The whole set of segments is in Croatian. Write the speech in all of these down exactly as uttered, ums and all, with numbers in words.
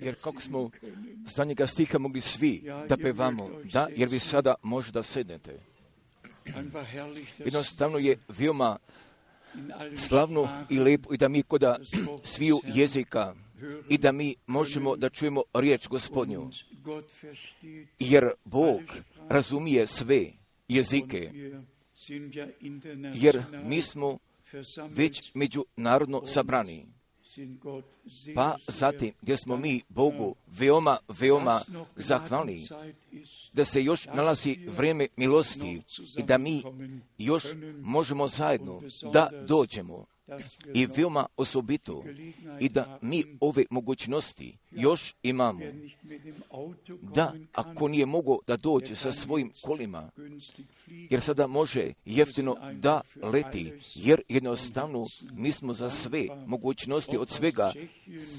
Jer kako smo zadnjega stiha mogli svi da pevamo, da, jer vi sada možete da sednete. Jednostavno je veoma slavno i lepo i da mi koda sviju jezika i da mi možemo da čujemo riječ Gospodnju. Jer Bog razumije sve jezike, jer mi smo već međunarodno sabrani. pa zatim gdje smo mi Bogu veoma, veoma zahvalni, da se još nalazi vrijeme milosti i da mi još možemo zajedno da dođemo. I veoma osobito i da mi ove mogućnosti još imamo, da ako nije mogao da dođe sa svojim kolima, jer sada može jeftino da leti, jer jednostavno mi smo za sve mogućnosti od svega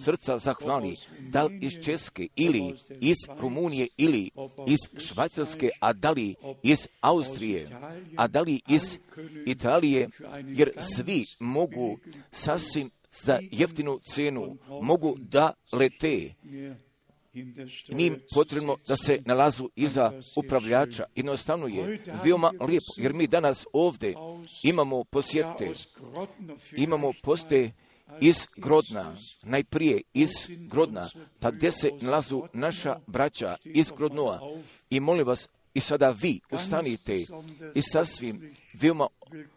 srca zahvali, da li iz Česke ili iz Rumunije ili iz Švajcarske, a da li iz Austrije, a da li iz Italije, jer svi mogu sasvim za jeftinu cenu mogu da lete. Njim potrebno da se nalazu iza upravljača. Jednostavno je veoma lijepo, jer mi danas ovdje imamo posjete, imamo poste iz Grodna, najprije iz Grodna, pa gdje se nalazu naša braća iz Grodnoa. I molim vas, i sada vi ustanite i sasvim veoma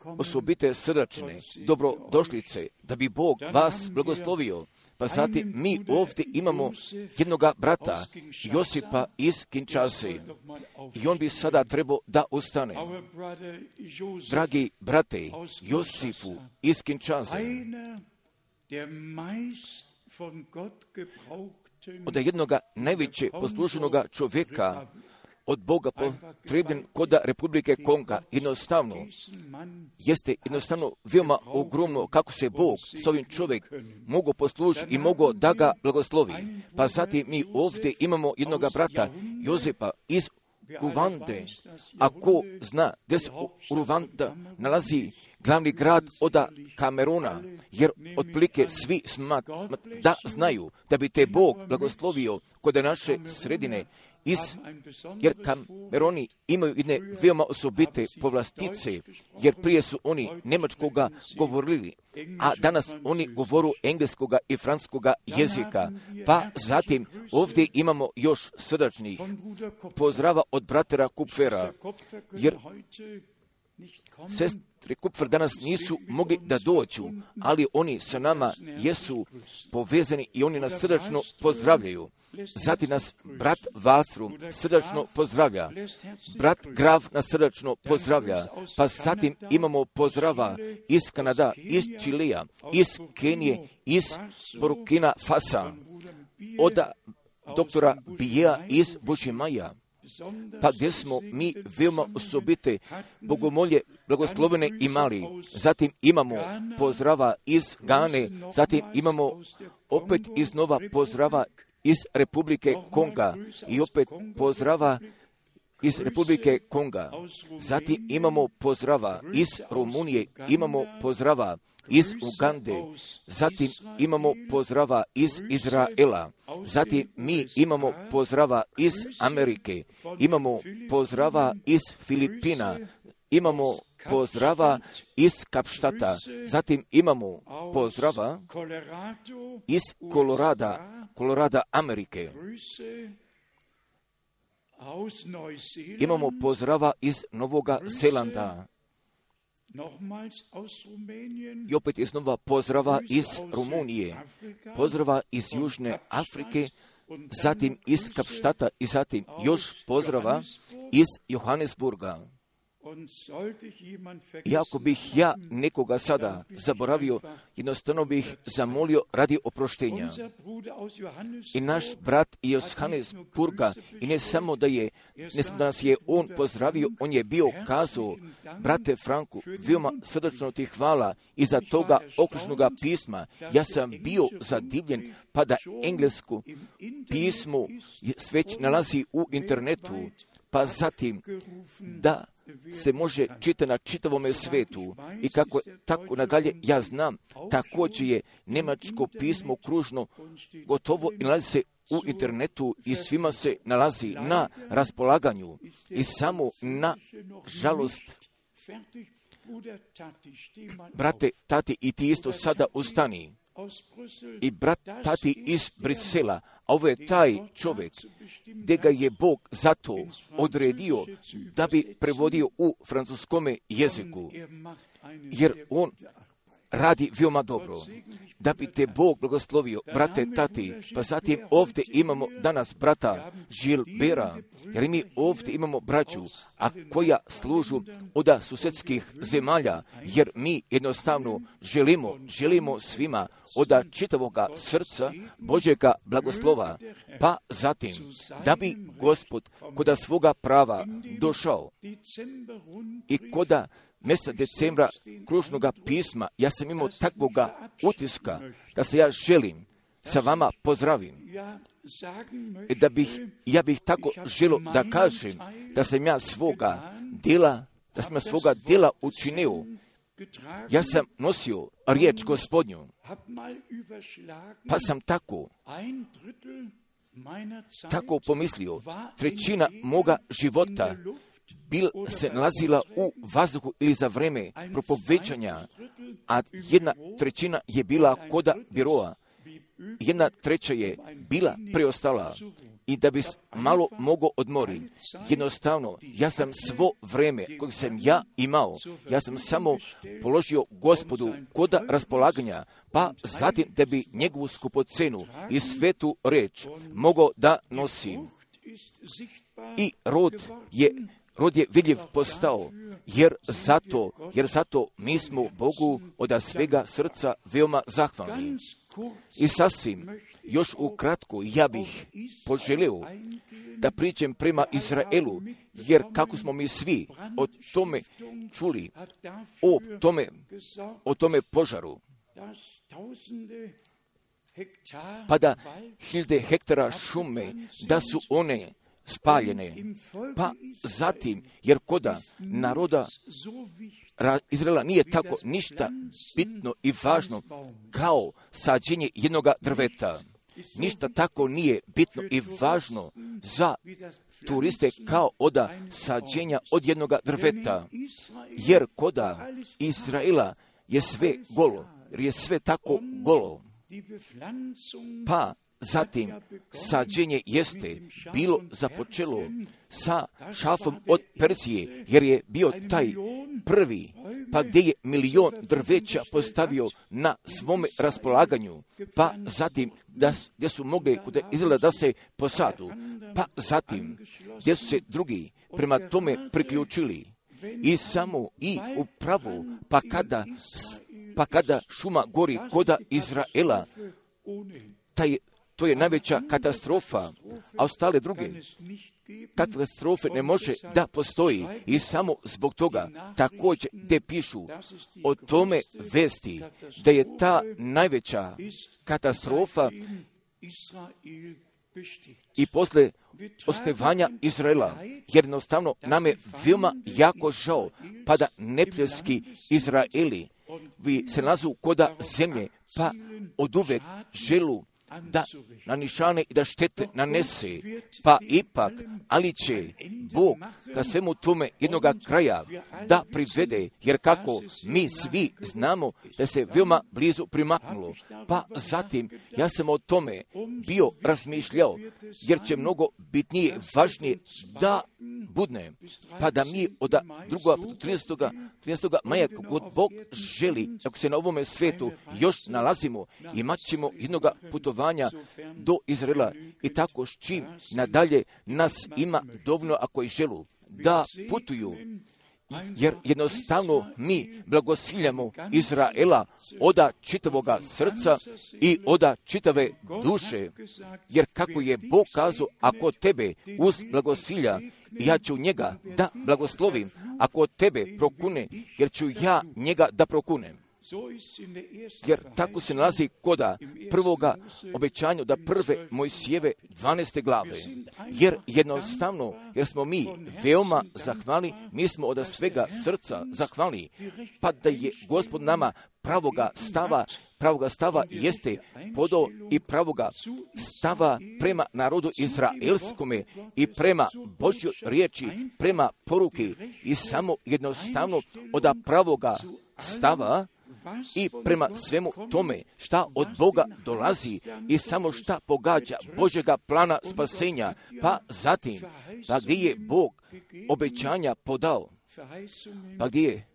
osobite srdačne dobrodošlice, da bi Bog vas blagoslovio. Pa zatim mi ovdje imamo jednoga brata, Josipa iz Kinshase, i on bi sada trebao da ustane. Dragi brate, Josifu iz Kinshase, od jednoga najveće poslušenoga čovjeka od Boga potrebljen kod Republike Konga, jednostavno, jeste jednostavno veoma ogromno kako se Bog s ovim čovjek mogu poslužiti i mogu da ga blagoslovi. Pa zatim mi ovdje imamo jednoga brata, Jozepa iz Ruvande. Ako zna gdje se u Ruvanda nalazi glavni grad od Kameruna, jer otprilike svi smat, da znaju da bi te Bog blagoslovio kod naše sredine, Is, jer Kameroni imaju jedne veoma osobite povlastice, jer prije su oni njemačkoga govorili, a danas oni govoru engleskoga i francuskoga jezika. Pa zatim ovdje imamo još srdačnih pozdrava od bratera Kupfera, jer sestre Kupfer danas nisu mogli da dođu, ali oni sa nama jesu povezani i oni nas srdačno pozdravljaju. Zatim nas brat Valstrom srdačno pozdravlja, brat Graf nas srdačno pozdravlja, pa zatim imamo pozdrava iz Kanada, iz Čilija, iz Kenije, iz Burkina Fasa, od doktora Bijea iz Bušimaja, pa gdje smo mi veoma osobite bogomolje blagoslovene imali. Zatim imamo pozdrava iz Gane, zatim imamo opet iznova pozdrava iz Republike Konga i opet pozdrava iz Republike Konga. Zatim imamo pozdrava iz Rumunije, imamo pozdrava iz Ugande, zatim imamo pozdrava iz Izraela, zatim mi imamo pozdrava iz Amerike, imamo pozdrava iz Filipina, imamo pozdrava iz Kapštata, zatim imamo pozdrava iz Kolorada, Kolorada Amerike. Imamo pozdrava iz Novoga Zelanda. I opet iznova pozdrava iz Rumunije, pozdrava iz Južne Afrike, zatim iz Kapštata i zatim još pozdrava iz Johannesburga. I ako bih ja nekoga sada zaboravio, jednostavno bih zamolio radi oproštenja. I naš brat iz Johannesburga, i ne samo da je, ne samo da nas je on pozdravio, on je bio kazao, brate Franku, veoma srdačno ti hvala iza toga okružnoga pisma. Ja sam bio zadivljen, pa da englesko pismo već nalazi u internetu, pa zatim da se može čitati na čitavome svetu i kako tako nadalje. Ja znam, također je njemačko pismo kružno gotovo i nalazi se u internetu i svima se nalazi na raspolaganju. I samo na žalost, brate, tati, i ti isto sada ustani. I brat tati iz Brisela, a ovo je taj čovjek gdje ga je Bog zato odredio da bi prevodio u francuskome jeziku, jer on radi veoma dobro. Da bi te Bog blagoslovio, brate, tati, pa zatim ovdje imamo danas brata Žilbera, jer mi ovdje imamo braću, a koja služu od susjedskih zemalja, jer mi jednostavno želimo, želimo svima od čitavoga srca Božjega blagoslova, pa zatim da bi Gospod koda svoga prava došao i koda mjeseca decembra kružnoga pisma, ja sam imao takvoga utiska da se ja želim sa vama pozdravim. Da bih, ja bih tako želio da kažem da sam ja svoga djela, da sam ja svoga djela učinio. Ja sam nosio riječ Gospodnju, pa sam tako, tako pomislio, trećina moga života bil se nalazila u vazduhu ili za vreme propovećanja, a jedna trećina je bila koda biroa, jedna treća je bila preostala. I da bi malo mogao odmoriti, jednostavno, ja sam svo vreme koje sam ja imao, ja sam samo položio Gospodu koda raspolaganja, pa zatim da bi njegovu skupocenu i svetu reč mogao da nosim. I rod je Rod je vidljiv postao, jer zato, jer zato mi smo Bogu od svega srca veoma zahvalni. I sasvim, još ukratko, ja bih poželio da priđem prema Izraelu, jer kako smo mi svi o tome čuli, o tome, o tome požaru, pa da hiljade hektara šume, da su one spaljene, pa zatim, jer koda naroda Izraela nije tako ništa bitno i važno kao sađenje jednoga drveta. Ništa tako nije bitno i važno za turiste kao oda sađenja od jednoga drveta, jer koda Izraela je sve golo, jer je sve tako golo. Pa zatim, sađenje jeste bilo započelo sa šafom od Persije, jer je bio taj prvi, pa gdje je milion drveća postavio na svome raspolaganju, pa zatim da, gdje su mogli Izraela da se posadu, pa zatim gdje su se drugi prema tome priključili i samo i upravo, pa kada, pa kada šuma gori koda Izraela, taj to je najveća katastrofa, a ostale druge katastrofe ne može da postoji i samo zbog toga također gdje pišu o tome vesti da je ta najveća katastrofa i posle osnivanja Izraela, jer jednostavno nam je veoma jako žao, pa da neprijateljski Izraeli vi se nalazu koda zemlje, pa oduvek želu da nanišane i da štete nanese, pa ipak, ali će Bog ka svemu tome jednoga kraja da privede, jer kako mi svi znamo da se veoma blizu primaknulo, pa zatim ja sam o tome bio razmišljao, jer će mnogo bitnije, važnije da budne, pa da mi od drugog trinaestog maja, kod Bog želi, ako se na ovome svetu još nalazimo, imat ćemo jednoga putovanja do Izraela i tako s čim nadalje nas ima dovoljno ako i želu da putuju, jer jednostavno mi blagosiljamo Izraela oda čitavoga srca i oda čitave duše, jer kako je Bog kazao, ako tebe uz blagosilja, ja ću njega da blagoslovim, ako tebe prokune, jer ću ja njega da prokunem. Jer tako se nalazi koda prvoga obećanja da prve Mojsijeve dvanaeste glave. Jer jednostavno, jer smo mi veoma zahvalni, mi smo od svega srca zahvalni, pa da je Gospod nama pravoga stava, pravoga stava jeste podao i pravoga stava prema narodu izraelskome i prema Božjoj riječi, prema poruki i samo jednostavno od pravoga stava i prema svemu tome šta od Boga dolazi i samo šta pogađa Božjega plana spasenja, pa zatim, pa gdje je Bog obećanja podao, pa gdje je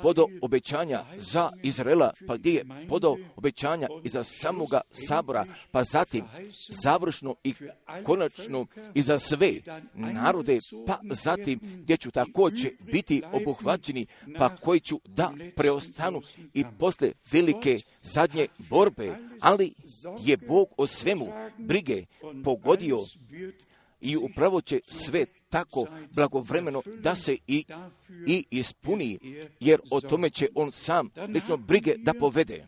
podao obećanja za Izraela, pa gdje je podao obećanja i za samoga sabora, pa zatim završno i konačno i za sve narode, pa zatim gdje ću također biti obuhvaćeni, pa koji ću da preostanu i posle velike zadnje borbe, ali je Bog o svemu brige pogodio i upravo će sve tako blagovremeno da se i, i ispuni, jer o tome će on sam lično brige da povede.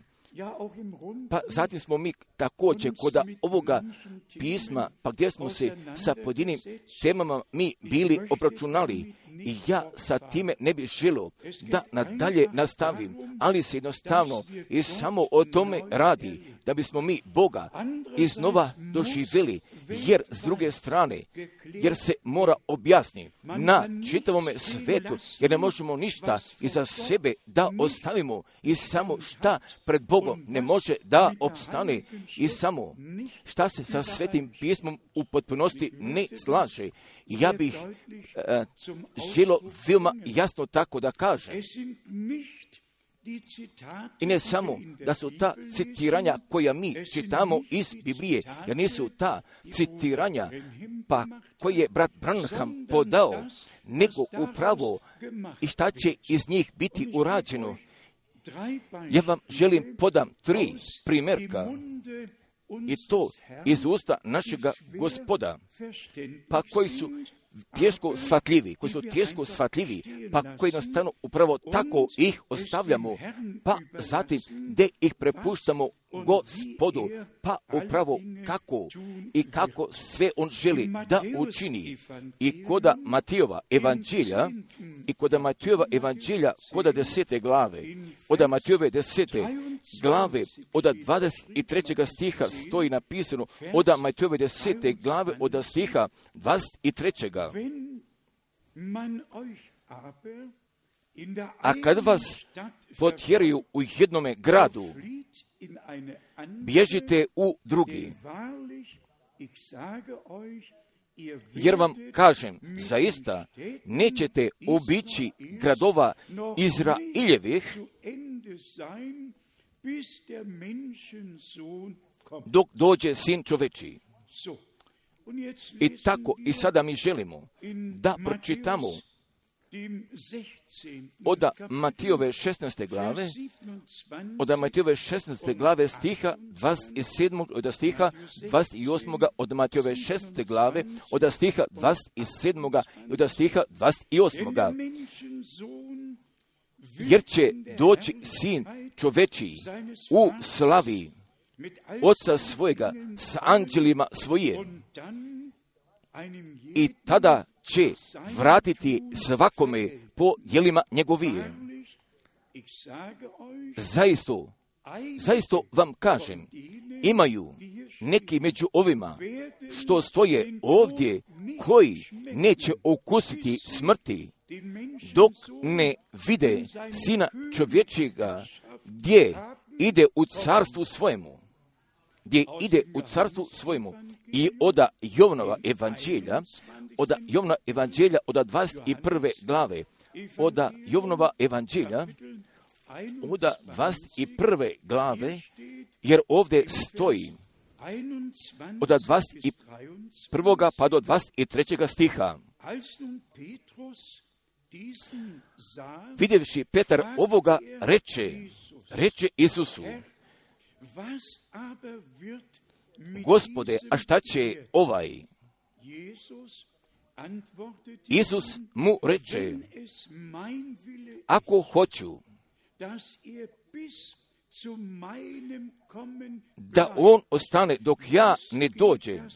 Pa zatim smo mi također kod ovoga pisma, pa gdje smo se sa pojedinim temama mi bili obračunali, i ja sa time ne bih želio da nadalje nastavim, ali se jednostavno i samo o tome radi, da bismo mi Boga iznova doživjeli, jer s druge strane, jer se mora objasniti na čitavome svetu, jer ne možemo ništa iza sebe da ostavimo i samo šta pred Bogom ne može da opstane i samo šta se sa Svetim pismom u potpunosti ne slaže. I ja bih uh, želio veoma jasno tako da kažem. I ne samo da su ta citiranja koja mi čitamo iz Biblije, jer nisu ta citiranja pa koje je brat Branham podao, nego upravo i šta će iz njih biti urađeno. Ja vam želim podam tri primjerka, i to iz usta našega Gospoda, pa koji su teško shvatljivi, koji su teško shvatljivi, pa koji jednostavno upravo tako ih ostavljamo, pa zatim gdje ih prepuštamo Gospodu, pa upravo kako i kako sve on želi da učini. I koda Matijova evanđelja, i koda Matijova evanđelja, koda desete glave, oda Matijove desete glave, oda dvadeset trećeg stiha stoji napisano, oda Matijove desete glave, oda stiha dvadeset trećeg. A kad vas potjeraju u jednome gradu, bježite u drugi. Jer vam kažem, zaista nećete obići gradova Izraeljevih dok dođe Sin čovečiji. I tako i sada mi želimo da pročitamo oda Matijove šesnaeste glave, oda Matijove šesnaeste glave stiha dvadeset sedmog, oda stiha dvadeset osmog, od Matijove šesnaeste glave, oda stiha dvadeset sedmog, oda stiha dvadeset osmog. Jer će doći Sin čovečiji u slavi Oca svojega s anđelima svoje, i tada će vratiti svakome po djelima njegovije. Zaista, zaista vam kažem, imaju neki među ovima što stoje ovdje koji neće okusiti smrti dok ne vide Sina čovječjega gdje ide u carstvu svojemu. Gdje ide u carstvu svojemu. I oda Jovanova evanđelja, oda Jovana evanđelja, oda dvadeset prve glave, oda Jovanova evanđelja, oda dvadeset prve glave, jer ovdje stoji oda dvadeset prvoga pa do dvadeset trećeg stiha. Vidjevši Petar ovoga reče, reče Isusu, Gospode, a šta će ovaj? Isus mu reče, ako hoću da on ostane dok ja ne dođem,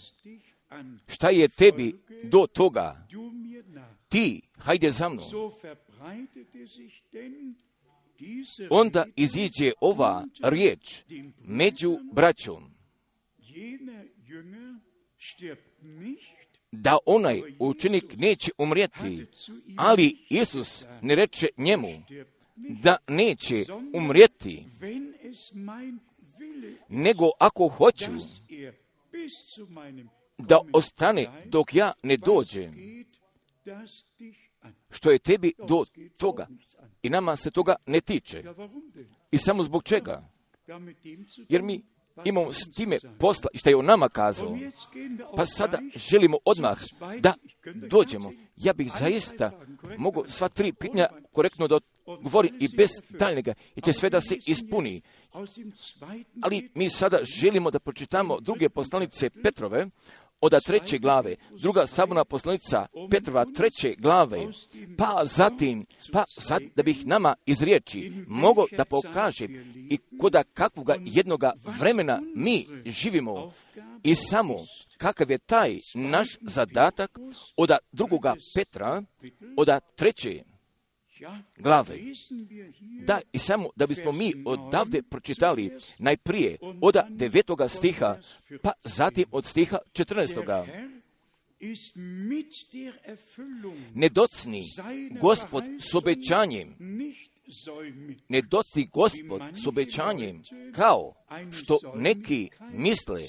šta je tebi do toga? Ti, hajde za mnom. Onda iziđe ova riječ među braćom, da onaj učenik neće umrijeti, ali Isus ne reče njemu da neće umrijeti, nego ako hoću da ostane dok ja ne dođem. što je tebi do toga i nama se toga ne tiče. I samo zbog čega? Jer mi imamo s time posla i što je on nama kazao. Pa sada želimo odmah da dođemo. Ja bih zaista mogu sva tri pitanja korektno da govori i bez daljnjega i će sve da se ispuni. Ali mi sada želimo da pročitamo druge poslanice Petrove, od treće glave, druga saborna poslanica Petrova treće glave, pa zatim, pa sad da bih nama iz riječi mogo da pokaže i koda kakvoga jednoga vremena mi živimo i samo kakav je taj naš zadatak od drugoga Petra, od treće glave. Da, i samo da bismo mi odavde pročitali najprije od devetoga stiha, pa zatim od stiha četrnaestoga. Ne docni Gospod s obećanjem, ne docni Gospod s obećanjem, kao što neki misle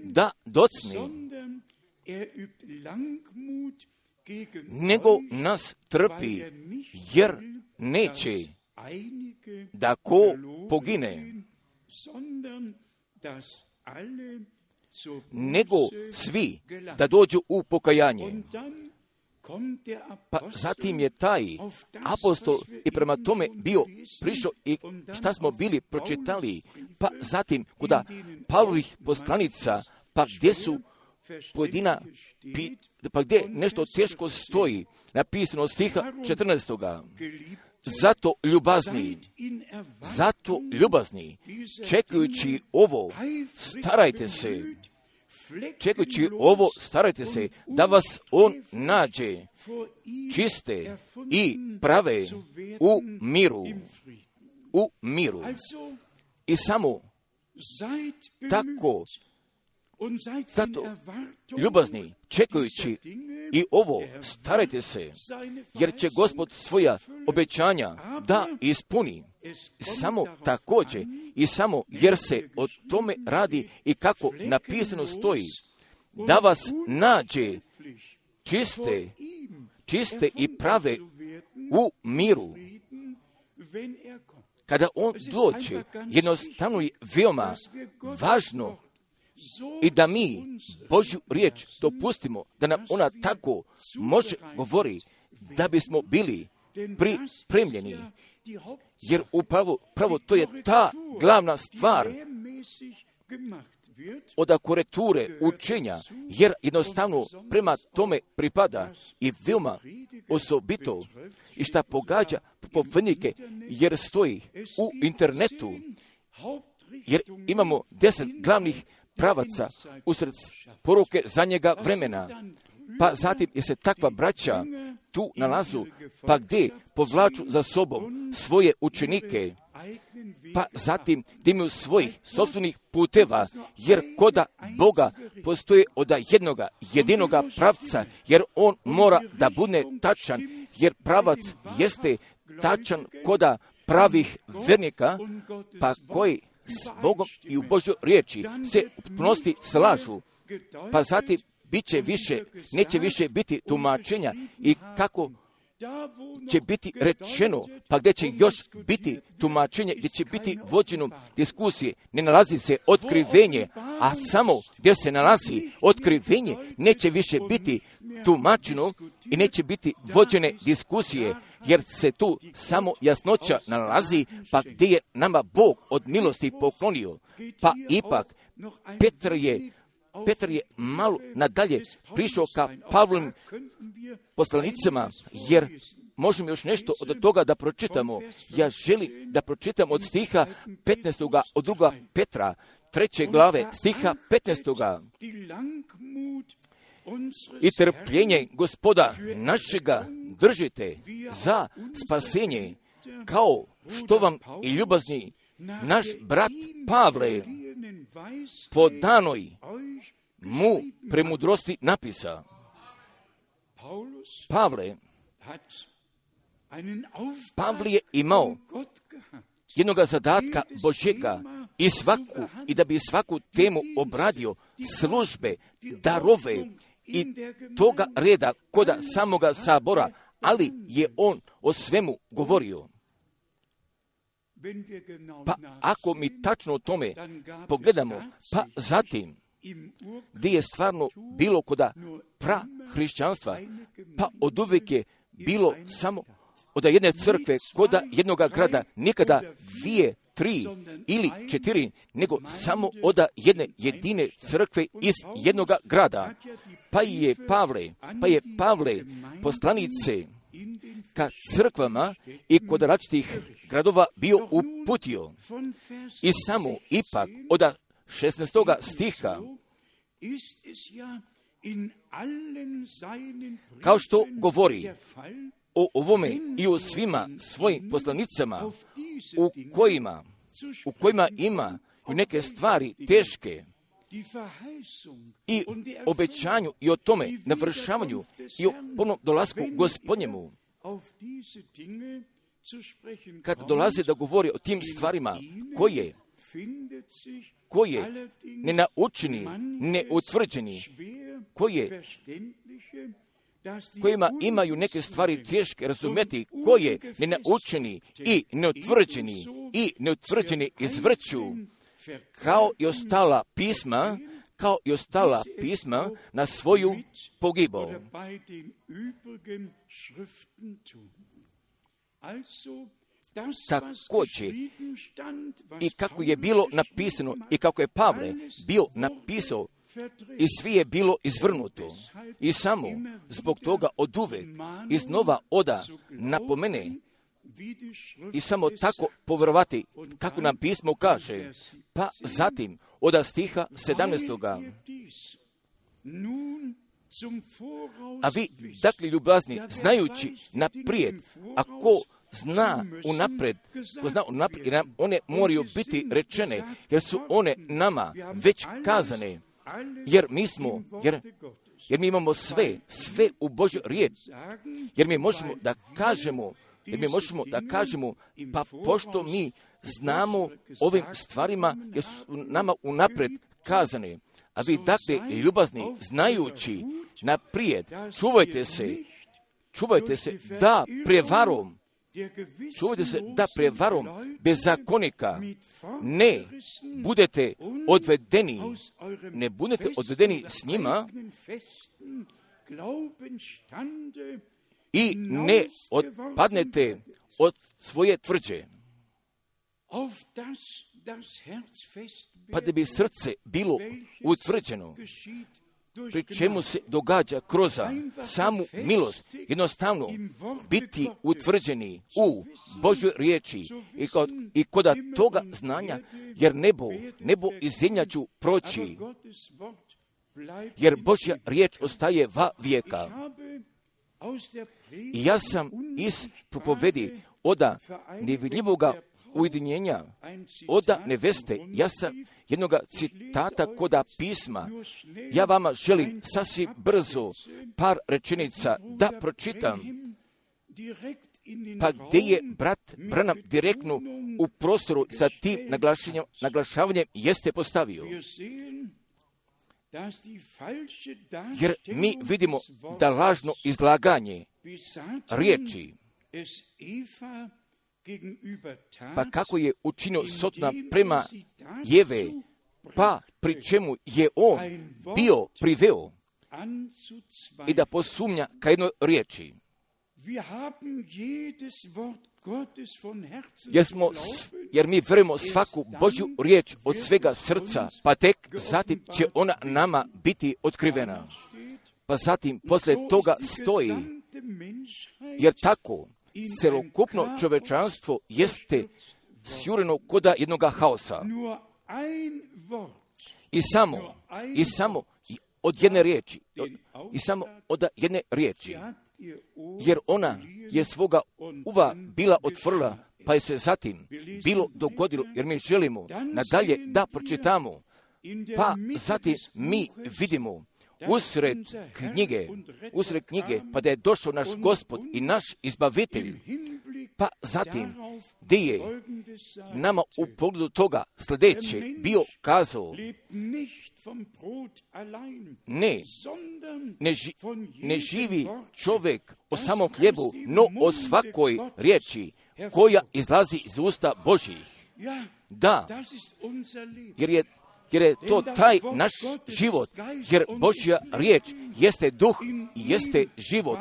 da docni, nego nas trpi, jer neće da ko pogine, nego svi da dođu u pokajanje. Pa zatim je taj apostol i prema tome bio prišao i šta smo bili pročitali, pa zatim kuda Pavlovih poslanica, pa gdje su pojedina pi, pa gdje nešto teško stoji, napisano od stiha četrnaestoga. Zato ljubazni, zato ljubazni, čekajući ovo, starajte se, čekajući ovo, starajte se, da vas on nađe čiste i prave u miru, u miru. I samo tako, zato ljubazni, čekajući i ovo, starajte se, jer će Gospod svoja obećanja da ispuni. Samo također i samo jer se o tome radi i kako napisano stoji, da vas nađe čiste, čiste i prave u miru. Kada on dođe, jednostavno je veoma važno i da mi Božju riječ dopustimo da nam ona tako može govori, da bismo bili pripremljeni. Jer upravo pravo to je ta glavna stvar od korekture učenja, jer jednostavno prema tome pripada i veoma osobito i šta pogađa propovjednike, jer stoji u internetu, jer imamo deset glavnih pravaca usred poruke zadnjega vremena. Pa zatim je se takva braća tu nalazu, pa gdje povlaču za sobom svoje učenike, pa zatim gdje imaju svojih sopstvenih puteva, jer koda Boga postoje od jednoga, jedinoga pravca, jer on mora da bude tačan, jer pravac jeste tačan koda pravih vernika, pa koji s Bogom i u Božjoj riječi se u potpunosti slažu. Pa zatim bit će više, neće više biti tumačenja i kako će biti rečeno, pa gdje će još biti tumačenje, gdje će biti vođeno diskusije, ne nalazi se otkrivenje, a samo gdje se nalazi otkrivenje, neće više biti tumačeno i neće biti vođene diskusije, jer se tu samo jasnoća nalazi, pa gdje je nama Bog od milosti poklonio. Pa ipak Petar je Petar je malo nadalje prišao ka Pavlovim poslanicama, jer možemo još nešto od toga da pročitamo. Ja želim da pročitam od stiha petnaestoga od druga Petra, treće glave, stiha petnaestoga. I trpljenje Gospoda našega držite za spasenje, kao što vam i ljubazni naš brat Pavle po danoj mu premudrosti napisa. Pavle, Pavle je imao jednoga zadatka Božjega i svaku, i da bi svaku temu obradio, službe, darove i toga reda koda samoga sabora, ali je on o svemu govorio. Pa ako mi tačno o tome pogledamo, pa zatim, gdje je stvarno bilo koda pra hrišćanstva, pa od uvijek je bilo samo od jedne crkve, koda jednoga grada, nikada dvije, tri ili četiri, nego samo od jedne jedine crkve iz jednoga grada. Pa je Pavle, pa je Pavle poslanice ka crkvama i kod različitih gradova bio uputio. I samo ipak od šesnaestoga stiha, kao što govori o ovome i o svima svojim poslanicama, u kojima, u kojima ima neke stvari teške, i obećanju i o tome navršavanju i o ponovnom dolasku Gospodnjemu. Kad dolaze da govori o tim stvarima koje, koje nenaučeni, neutvrđeni, koje, kojima imaju neke stvari teške razumjeti, koje nenaučeni i neutvrđeni i neutvrđeni izvrću, kao i ostala pisma, kao i ostala pisma na svoju pogibu. Također, i kako je bilo napisano i kako je Pavle bio napisao, i svi je bilo izvrnuto. I samo zbog toga od uvek iznova oda napomene i samo tako povjerovati kako nam pismo kaže. Pa zatim od stiha sedamnaestoga. A vi, dakle ljubazni, znajući naprijed, ako zna unapred, ko zna unaprijed, jer one moraju biti rečene, jer su one nama već kazane, jer mi smo, jer, jer mi imamo sve, sve u Božju riječ, jer mi možemo da kažemo, jer mi možemo da kažemo, pa pošto mi znamo ovim stvarima, jer su nama unapred kazane, a vi dakle ljubazni, znajući naprijed, čuvajte se, čuvajte se da prevarom, čuvajte se da prevarom bezakonika ne budete odvedeni, ne budete odvedeni s njima i ne odpadnete od svoje tvrđe. Pa da bi srce bilo utvrđeno, pri čemu se događa kroz samu milost, jednostavno biti utvrđeni u Božjoj riječi i kod, i kod toga znanja, jer nebo, nebo i zemlja ću proći, jer Božja riječ ostaje va vijeka. I ja sam iz propovedi oda nevidljivoga ujedinjenja, oda neveste, ja sam jednoga citata koda pisma, ja vama želim sasvim brzo par rečenica da pročitam, pa gdje je brat Branham direktno u prostoru sa tim naglašavanjem, naglašavanjem jeste postavio. Jer mi vidimo da lažno izlaganje riječi, pa kako je učinio Sotona prema Jeve, pa pri čemu je on bio priveo i da posumnja ka jednoj riječi. Jer, smo, jer mi vjerujemo svaku Božju riječ od svega srca, pa tek zatim će ona nama biti otkrivena. Pa zatim poslije toga stoji, jer tako celokupno čovečanstvo jeste sjureno koda jednoga haosa. I samo, i samo od jedne riječi, i samo od jedne riječi, jer ona je svoga uva bila otvorila, pa je se zatim bilo dogodilo, jer mi želimo nadalje da pročitamo, pa zatim mi vidimo usred knjige, usred knjige, pa da je došao naš Gospod i naš izbavitelj, pa zatim gdje je nama u pogledu toga sljedeće bio kazao, ne, ne, ži, ne živi čovjek o samom hljebu, no o svakoj riječi koja izlazi iz usta Božjih. Da, jer je, jer je to taj naš život, jer Božja riječ jeste duh i jeste život.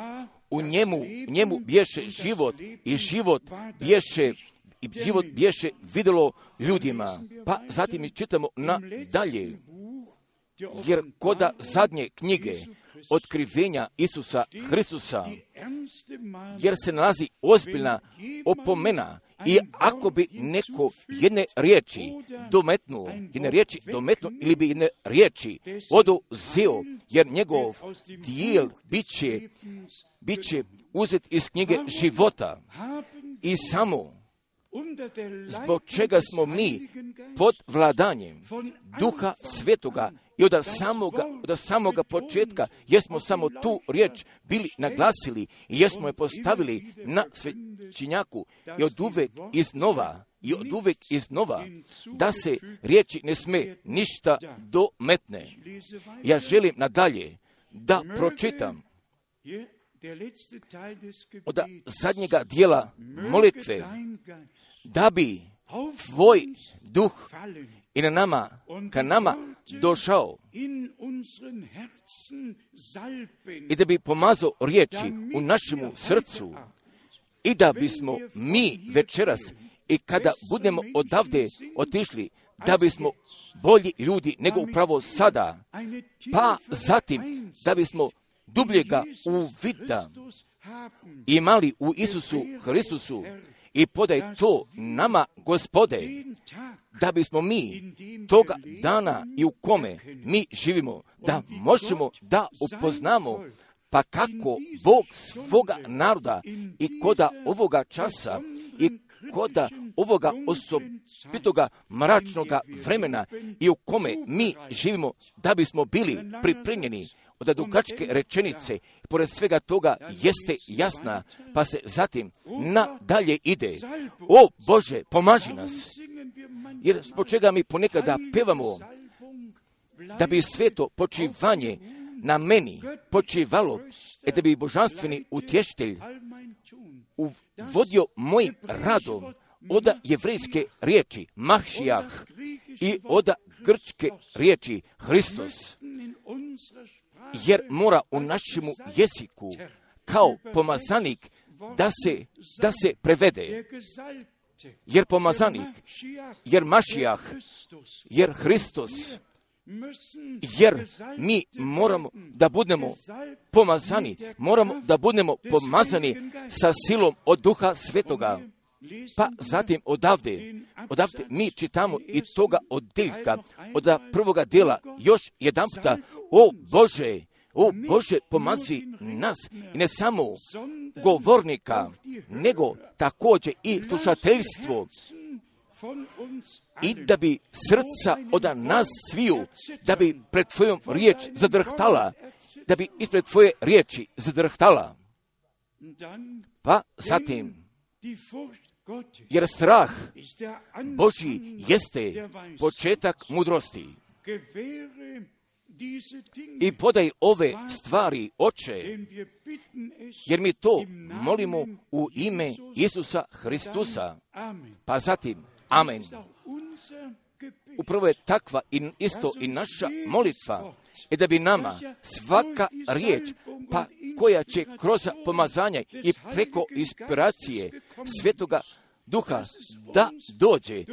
U njemu, njemu bješe život i život bješe, i život bješe vidjelo ljudima. Pa zatim mi čitamo na dalje, jer koda zadnje knjige otkrivenja Isusa Hristusa, jer se nalazi ozbiljna opomena, i ako bi neko jedne riječi dometnuo, jedne riječi dometnuo ili bi jedne riječi oduzeo, jer njegov dijel bit će, bit će uzet iz knjige života. I samo zbog čega smo mi pod vladanjem Duha Svetoga i od samoga, od samoga početka, jesmo samo tu riječ bili naglasili i jesmo je postavili na svećenjaku i od uvek iznova, i od uvek iznova, da se riječi ne sme ništa dometne. Ja želim nadalje da pročitam od zadnjega dijela molitve, da bi tvoj duh i na nama, ka nama došao i da bi pomazao riječi u našemu srcu i da bismo mi večeras i kada budemo odavde otišli, da bismo bolji ljudi nego upravo sada, pa zatim da bismo dubljega uvida imali u Isusu Hristusu i podaj to nama, Gospode, da bismo mi toga dana i u kome mi živimo, da možemo da upoznamo pa kako Bog svoga naroda i koda ovoga časa i koda ovoga osobitoga mračnoga vremena i u kome mi živimo, da bismo bili pripremljeni. Od dugačke rečenice, pored svega toga, jeste jasna, pa se zatim nadalje ide. O Bože, pomaži nas, jer zbog čega mi ponekada pevamo, da bi sveto počivanje na meni počivalo, i da bi božanstveni utještelj uvodio mojim radom od jevrejske riječi Mahšijah i od grčke riječi Hristos, jer mora u našemu jeziku kao pomazanik da se, da se prevede. Jer pomazanik, jer Mašijah, jer Hristos, jer mi moramo da budemo pomazani, moramo da budemo pomazani sa silom od Duha Svetoga. Pa zatim odavde, odavde mi čitamo i toga odjeljka, od prvoga dijela, još jedan puta, o Bože, o Bože, pomazi nas, i ne samo govornika, nego također i slušateljstvo, i da bi srca od nas sviju, da bi pred tvojom riječ zadrhtala, da bi ispred tvoje riječi zadrhtala. Pa zatim, jer strah Božji jeste početak mudrosti. I podaj ove stvari, Oče, jer mi to molimo u ime Isusa Hristusa. Pa zatim, amen. Upravo je takva i isto i naša molitva, i da bi nama svaka riječ, pa koja će kroz pomazanja i preko inspiracije Svetoga Duha da dođe,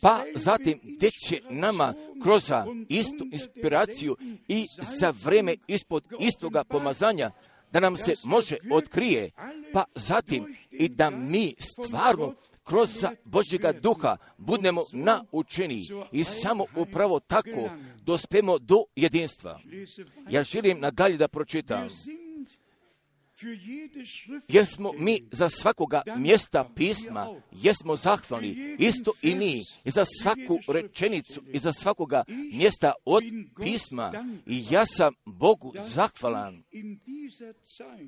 pa zatim gdje će nama kroz istu inspiraciju i za vreme ispod istoga pomazanja da nam se može otkrije, pa zatim i da mi stvarno kroz Božjega Duha budemo naučeni i samo upravo tako dospemo do jedinstva. Ja želim nadalje da pročitam. Jer smo mi za svakoga mjesta pisma, jesmo zahvalni, isto i mi, i za svaku rečenicu, i za svakoga mjesta od pisma. I ja sam Bogu zahvalan.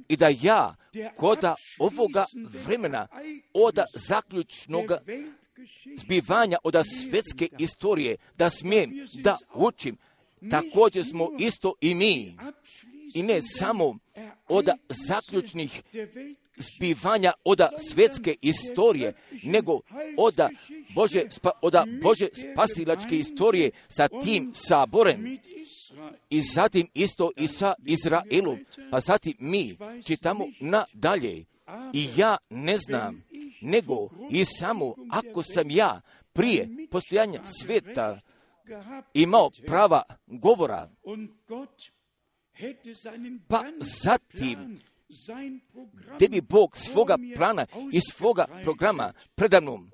I da ja, koda ovoga vremena, od zaključnog zbivanja, od svetske istorije, da smijem da učim, također smo isto i mi. I ne samo od zaključnih zbivanja od svjetske istorije, nego od Bože, spa, od Bože spasilačke istorije sa tim saborem i zatim isto i sa Izraelom, pa zatim mi čitamo nadalje. I ja ne znam, nego i samo ako sam ja prije postojanja svijeta imao prava govora, pa zatim gdje bi Bog svoga plana i svoga programa predamnom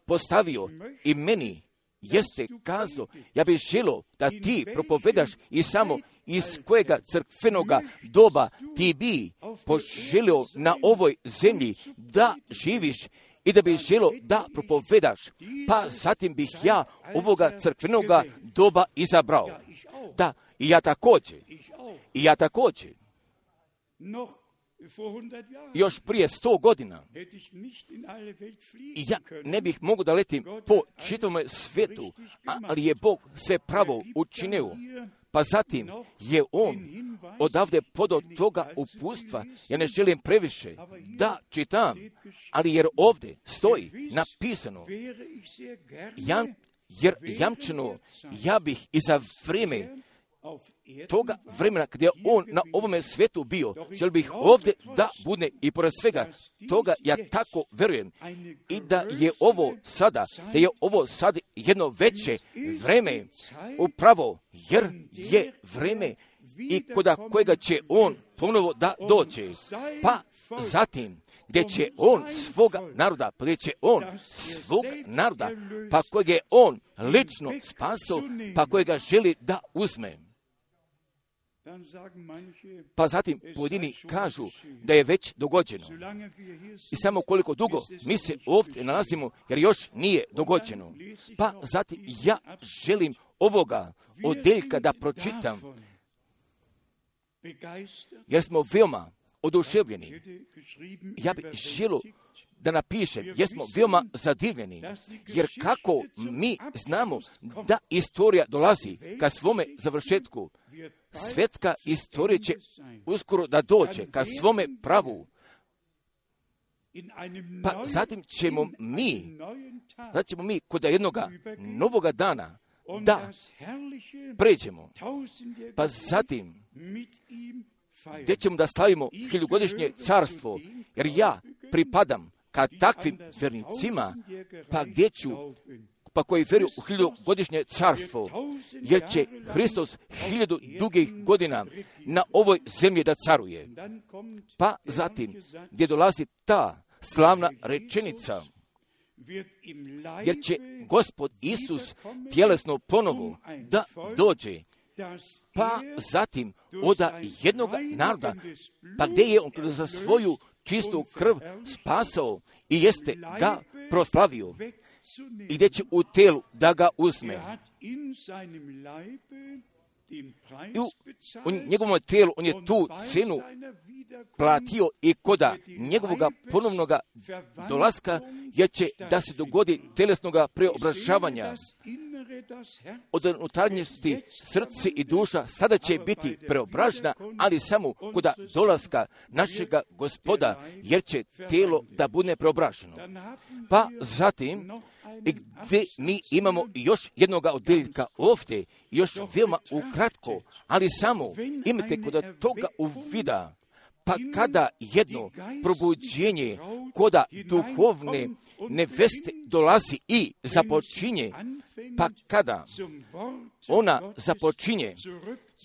postavio i meni jeste kazao, ja bih želio da ti propovedaš i samo iz kojega crkvenoga doba ti bi poželio na ovoj zemlji da živiš i da bih želio da propovedaš, pa zatim bih ja ovoga crkvenoga doba izabrao. Da, i ja također, i ja također. Još prije sto godina ja ne bih mogao da letim po čitavom svijetu, ali je Bog sve pravo učinio. Pa zatim je On odavde podao toga upustva. Ja ne želim previše da čitam, ali jer ovdje stoji napisano, jam, jer jamčeno ja bih i za vrijeme toga vremena kada je On na ovome svijetu bio, želim bih ovdje da bude i pored svega toga ja tako verujem i da je ovo sada, da je ovo sad jedno veće vreme upravo jer je vreme i koda kojega će On ponovo da dođe. Pa zatim gdje će On svoga naroda, pa gdje će On svog naroda, pa kojega je On lično spasao, pa kojega želi da uzme. Pa zatim pojedini kažu da je već dogođeno. I samo koliko dugo mi se ovdje nalazimo, jer još nije dogođeno. Pa zatim ja želim ovoga odjeljka da pročitam, jer smo veoma oduševljeni. Ja bih želio da napišem, jer smo veoma zadivljeni, jer kako mi znamo da istorija dolazi ka svome završetku, svjetska istorija će uskoro da dođe ka svome pravu. Pa zatim ćemo mi, zatim ćemo mi kod jednoga novoga dana da pređemo. Pa zatim gdje ćemo da slavimo hiljugodišnje carstvo, jer ja pripadam ka takvim vernicima, pa gdje ću, pa koji vjeruju u hiljugodišnje carstvo, jer će Hristos hiljadu dugih godina na ovoj zemlji da caruje. Pa zatim, gdje dolazi ta slavna rečenica, jer će Gospod Isus tjelesno ponovo da dođe, pa zatim od jednog naroda, pa gdje je on za svoju čistu krv spasao i jeste ga proslavio i gdje će u telu da ga uzme. I u, u njegovom tijelu on je tu cenu platio i koda njegovog ponovnog dolaska, jer će da se dogodi telesnog preobražavanja. Od unutarnjosti srce i duša sada će biti preobražena, ali samo koda dolaska našega Gospoda, jer će tijelo da bude preobraženo. Pa zatim, gdje mi imamo još jednog odjeljka ovdje, još veoma ukratko, ali samo imate kod toga uvida, pa kada jedno probuđenje koda duhovne neveste dolazi i započinje, pa kada ona započinje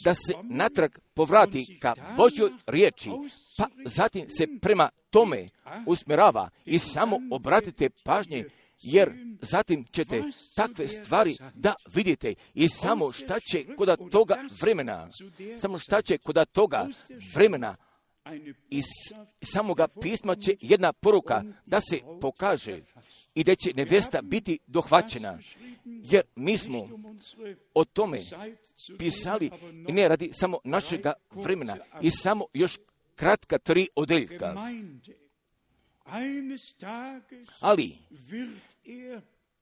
da se natrag povrati ka Božjoj riječi, pa zatim se prema tome usmjerava i samo obratite pažnje, jer zatim ćete takve stvari da vidite i samo šta će kod toga vremena, samo šta će kod toga vremena iz samoga pisma će jedna poruka da se pokaže i da će nevesta biti dohvaćena, jer mi smo o tome pisali i ne radi samo našega vremena i samo još kratka tri odeljka. Ali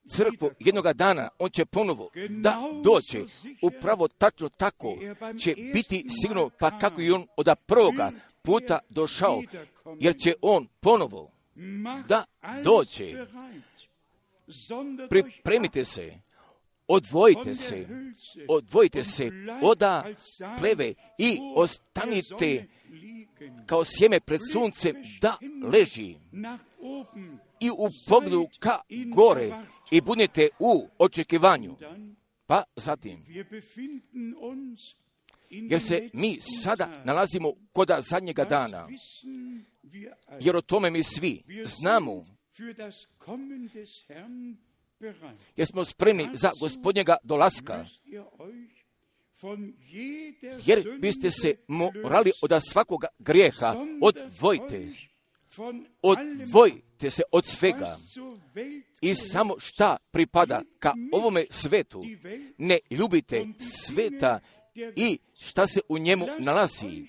crkvu jednoga dana, on će ponovo da doće. Upravo tačno tako će biti sigurno, pa kako i on od prvoga puta došao, jer će on ponovo da doće. Pripremite se, odvojite se, odvojite se oda pleve i ostanite kao sjeme pred suncem da leži i u pogledu ka gore i budete u očekivanju. Pa zatim, jer se mi sada nalazimo kod zadnjega dana, jer o tome mi svi znamo, jer smo spremni za Gospodnjega dolaska, jer biste se morali od svakoga grijeha odvojite, odvojite se od svega i samo šta pripada ka ovome svetu, ne ljubite sveta i šta se u njemu nalazi.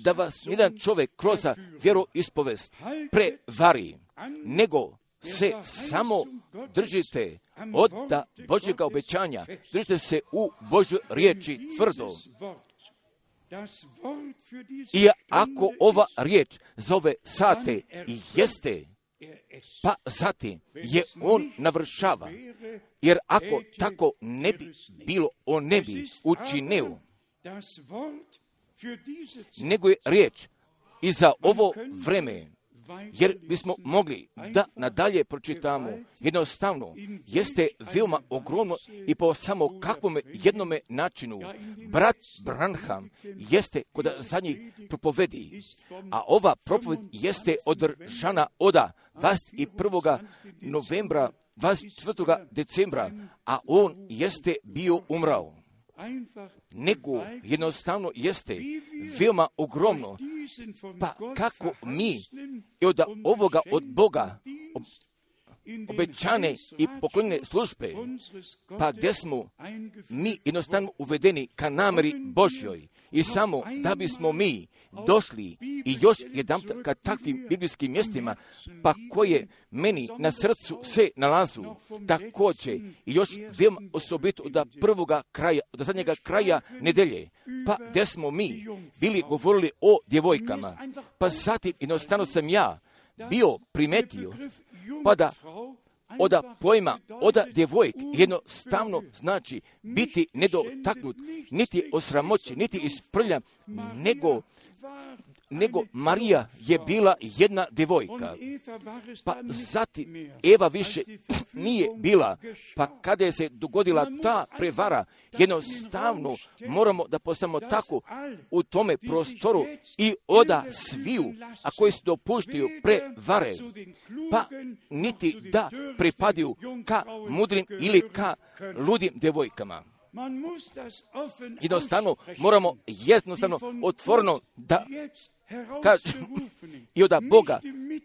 Da vas jedan čovjek kroz vjeroispovest prevari, nego se samo držite od Božjega obećanja, držite se u Božjoj riječi tvrdo. I ako ova riječ za ove sate i jeste, pa zatim je on navršava, jer ako tako ne bi bilo, on ne bi učinio, nego je riječ i za ovo vreme, jer bismo mogli da nadalje pročitamo, jednostavno jeste veoma ogromno i po samo kakvom jednome načinu brat Branham jeste kod zadnjih propovedi, a ova propoved jeste održana od dvadeset prvog novembra, dvadeset četvrtog decembra, a on jeste bio umrao. Nego jednostavno jeste veoma ogromno, pa kako mi i od ovoga od Boga obećane i poklonjene službe, pa gdje smo mi jednostavno uvedeni ka nameri Božjoj i samo da bismo mi došli i još jedan ka takvim biblijskim mjestima, pa koje meni na srcu se nalazu, također i još veoma osobito od prvoga kraja, od zadnjega kraja nedelje, pa gdje smo mi bili govorili o djevojkama, pa zatim jednostavno sam ja bio primetio, pa da oda pojma, oda djevojk jednostavno znači biti nedotaknut, niti osramoćen, niti isprljan, nego, nego Marija je bila jedna djevojka. Pa zatim Eva više nije bila, pa kada je se dogodila ta prevara, jednostavno moramo da postanemo tako u tome prostoru i oda sviju, a koji se dopuštaju prevare, pa niti da pripadaju ka mudrim ili ka ludim djevojkama. Jednostavno moramo jednostavno otvoreno da kažemo i od Boga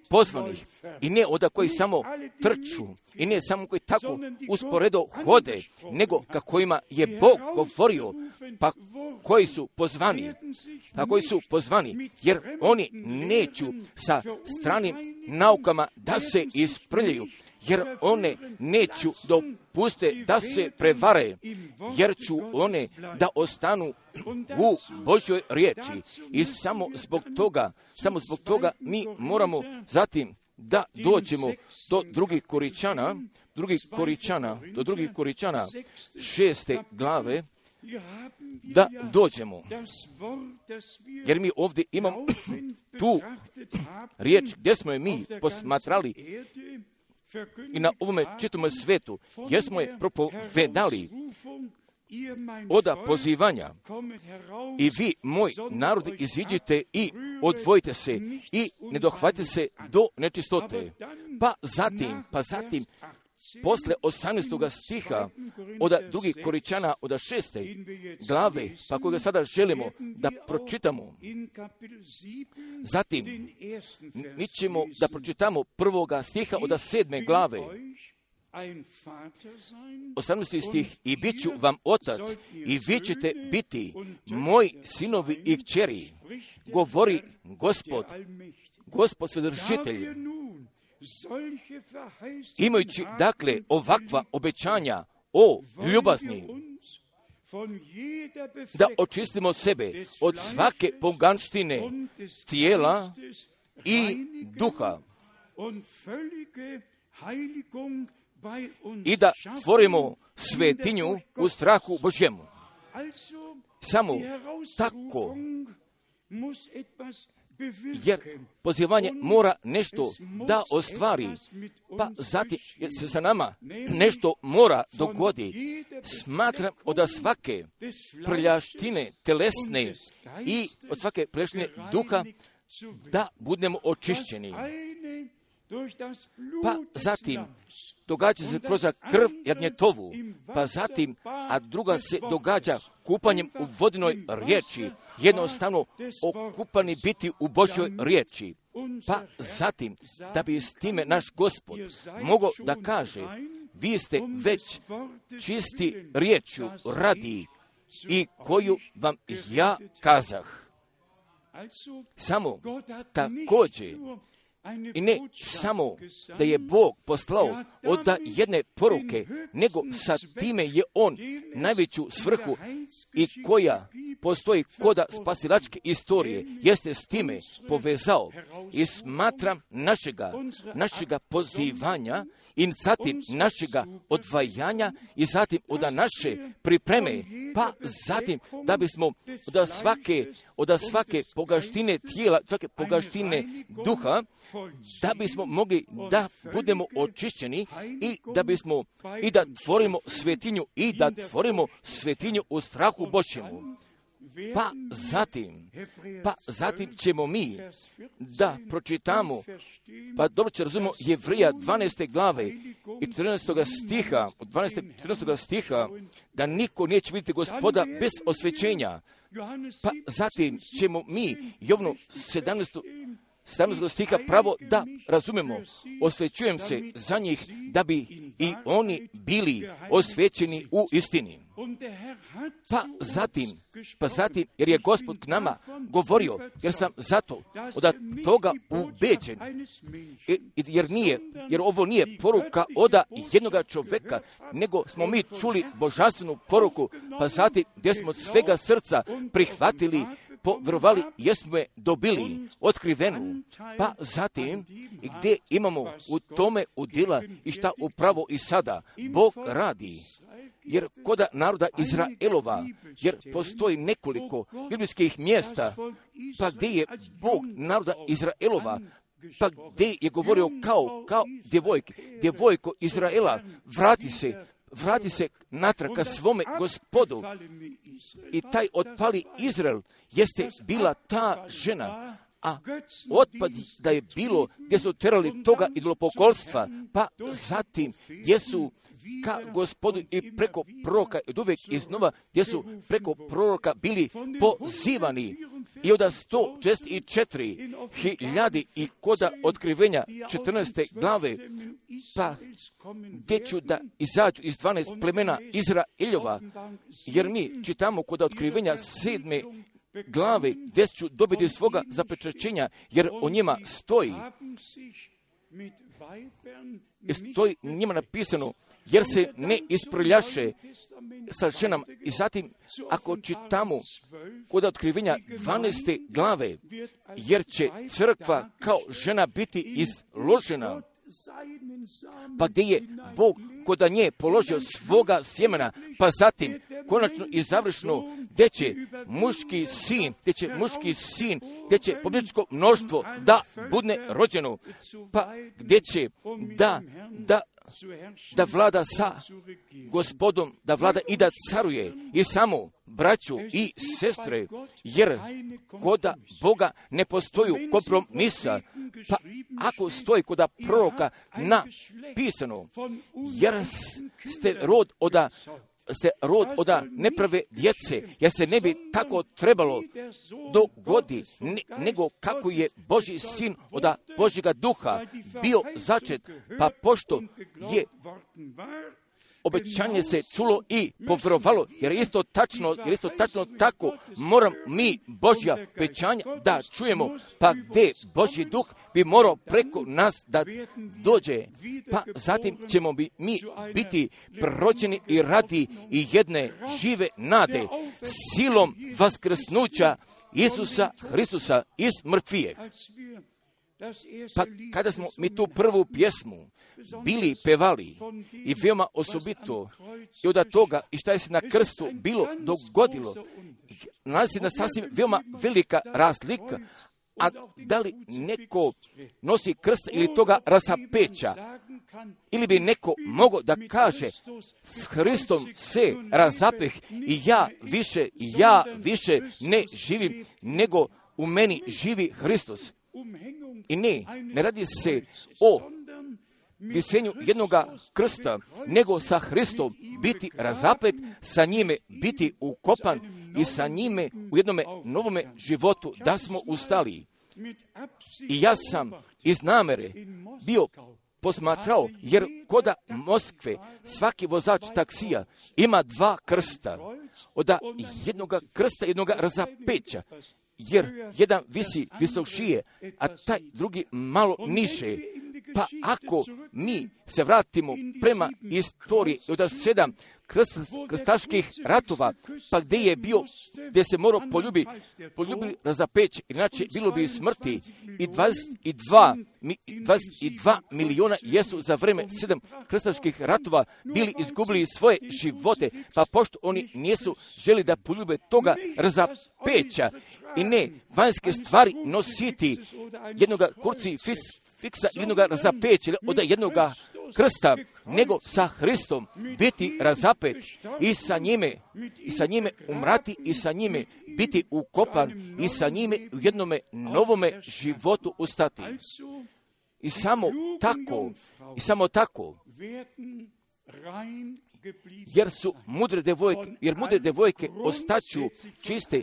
pozvanih i ne od koji samo trču i ne samo koji tako usporedo hode, nego ka kojima je Bog govorio, pa koji su pozvani, pa koji su pozvani, jer oni neću sa stranim naukama da se isprljaju, jer one neću dopuste da se prevare, jer ću one da ostanu u Božjoj riječi. I samo zbog toga, samo zbog toga mi moramo zatim da dođemo do drugih Koričana, drugih Koričana, do drugih Koričana šeste glave, da dođemo. Jer mi ovdje imamo tu riječ gdje smo je mi posmatrali i na ovome čitome svetu, jer smo je propovedali od pozivanja i vi, moj narod, iziđite i odvojite se i ne dohvatite se do nečistote. Pa zatim, pa zatim, posle osamnaestog stiha od drugih Koričana od šeste glave, pa koga sada želimo da pročitamo. Zatim, mi ćemo da pročitamo prvoga stiha od sedme glave. osamnaesti stih, i bit ću vam otac i vi ćete biti moji sinovi i kćeri, govori Gospod, Gospod Svedršitelj, imajući dakle ovakva obećanja o ljubazni, da očistimo sebe od svake poganštine tijela i duha i da tvorimo svetinju u strahu Božjemu. Samo tako, jer pozivanje mora nešto da ostvari, pa zatim jer se sa nama nešto mora dogodi. Smatram od svake prljaštine telesne i od svake prljaštine duha da budemo očišćeni. Pa zatim događa se kroz krv jagnjetovu, pa zatim, a druga se događa kupanjem u vodinoj riječi, jednostavno okupani biti u Božjoj riječi. Pa zatim, da bi s time naš Gospod mogao da kaže, vi ste već čisti riječju radi i koju vam ja kazah. Samo također, i ne samo da je Bog poslao od jedne poruke, nego sa time je On najveću svrhu i koja postoji koda spasilačke istorije, jeste s time povezao i smatram našega, našega pozivanja i zatim našega odvajanja i zatim od naše pripreme, pa zatim da bismo od svake, od svake pogaštine tijela, svake pogaštine duha, da bismo mogli da budemo očišćeni i da bismo i da tvorimo svetinju i da tvorimo svetinju u strahu Božjemu. Pa zatim, pa zatim ćemo mi da pročitamo, pa dobro će razumimo Jevrija dvanaeste glave i četrnaestog stiha, od dvanaestog i četrnaestog stiha, da niko neće vidjeti Gospoda bez osvećenja. Pa zatim ćemo mi Jovnu sedamnaestog stiha pravo da razumemo, osvećujem se za njih da bi i oni bili osvećeni u istini. Pa zatim, pa zatim, jer je Gospod k nama govorio, jer sam zato od toga ubeđen, jer nije, jer ovo nije poruka od jednoga čovjeka, nego smo mi čuli božanstvenu poruku, pa zatim gdje smo od svega srca prihvatili, povjerovali, jesmo je dobili otkrivenu, pa zatim i gdje imamo u tome udjela i šta upravo i sada Bog radi. Jer koda naroda Izraelova, jer postoji nekoliko biblijskih mjesta, pa gdje je Bog naroda Izraelova, pa gdje je govorio kao, kao djevojke, djevojko Izraela, vrati se, vrati se natrag ka svome Gospodu. I taj otpali Izrael jeste bila ta žena, a otpad da je bilo gdje su terali toga idolopokolstva, pa zatim gdje su ka Gospodu i preko proroka, od uvijek iznova, gdje su preko proroka bili pozivani. I od sto četrdeset četiri hiljadi i koda otkrivenja četrnaeste glave, pa gdje ću da izađu iz dvanaest plemena Izraeljova, jer mi čitamo kod otkrivenja sedme glave gdje ću dobiti svoga zapečaćenja, jer o njima stoji, stoji njima napisano, jer se ne isprljaše sa ženama. I zatim, ako čitamo kod otkrivenja dvanaeste glave, jer će crkva kao žena biti izložena, pa gdje je Bog kod nje položio svoga sjemena, pa zatim konačno i završno gdje će muški sin, gdje će muški sin, gdje će pobjedničko mnoštvo da budne rođeno, pa gdje će da, da da vlada sa Gospodom, da vlada i da caruje i samo braću i sestre, jer koda Boga ne postoji kompromisa, pa ako stoji koda proroka napisano, jer ste rod oda ste rod od neprave djece, jer se ne bi tako trebalo dogodi, ne, nego kako je Božji sin od Božjega duha bio začet, pa pošto je obećanje se čulo i povjerovalo, jer isto tačno, jer isto tačno tako moram mi Božja obećanja da čujemo, pa gdje Božji duh bi morao preko nas da dođe, pa zatim ćemo bi mi biti prođeni i radi i jedne žive nade silom vaskrsnuća Isusa Hristusa iz mrtvijeg. Pa kada smo mi tu prvu pjesmu bili pevali i veoma osobito i od toga i šta je se na krstu bilo dogodilo, nalazi na sasvim veoma velika razlika, a da li neko nosi krst ili toga razapeća, ili bi neko mogao da kaže s Hristom se razapeh i ja više, ja više ne živim, nego u meni živi Hristos. I ne, ne radi se o visenju jednoga krsta, nego sa Hristom biti razapet, sa njime biti ukopan i sa njime u jednome novome životu da smo ustali. I ja sam iz namere bio posmatrao, jer koda Moskve svaki vozač taksija ima dva krsta, od jednoga krsta, jednoga razapeća, jer jedan visi visok šije, a taj drugi malo niže. Pa ako mi se vratimo prema istoriji od sedam krst, krstaških ratova, pa gdje je bio, gdje se morao poljubi, poljubi razapeć, inače bilo bi smrti, i dvadeset dva, dvadeset dva miliona jesu za vreme sedam krstaških ratova bili izgubili svoje živote, pa pošto oni nisu želi da poljube toga razapeća i ne vanjske stvari nositi jednoga kurci fis, fiksa jednoga razapeća od jednoga krsta, nego sa Hristom biti razapet i sa njime, i sa njime umrati i sa njime biti ukopan i sa njime u jednome novome životu ustati. I samo tako, i samo tako, jer su mudre devojke, jer mudre devojke ostaću čiste,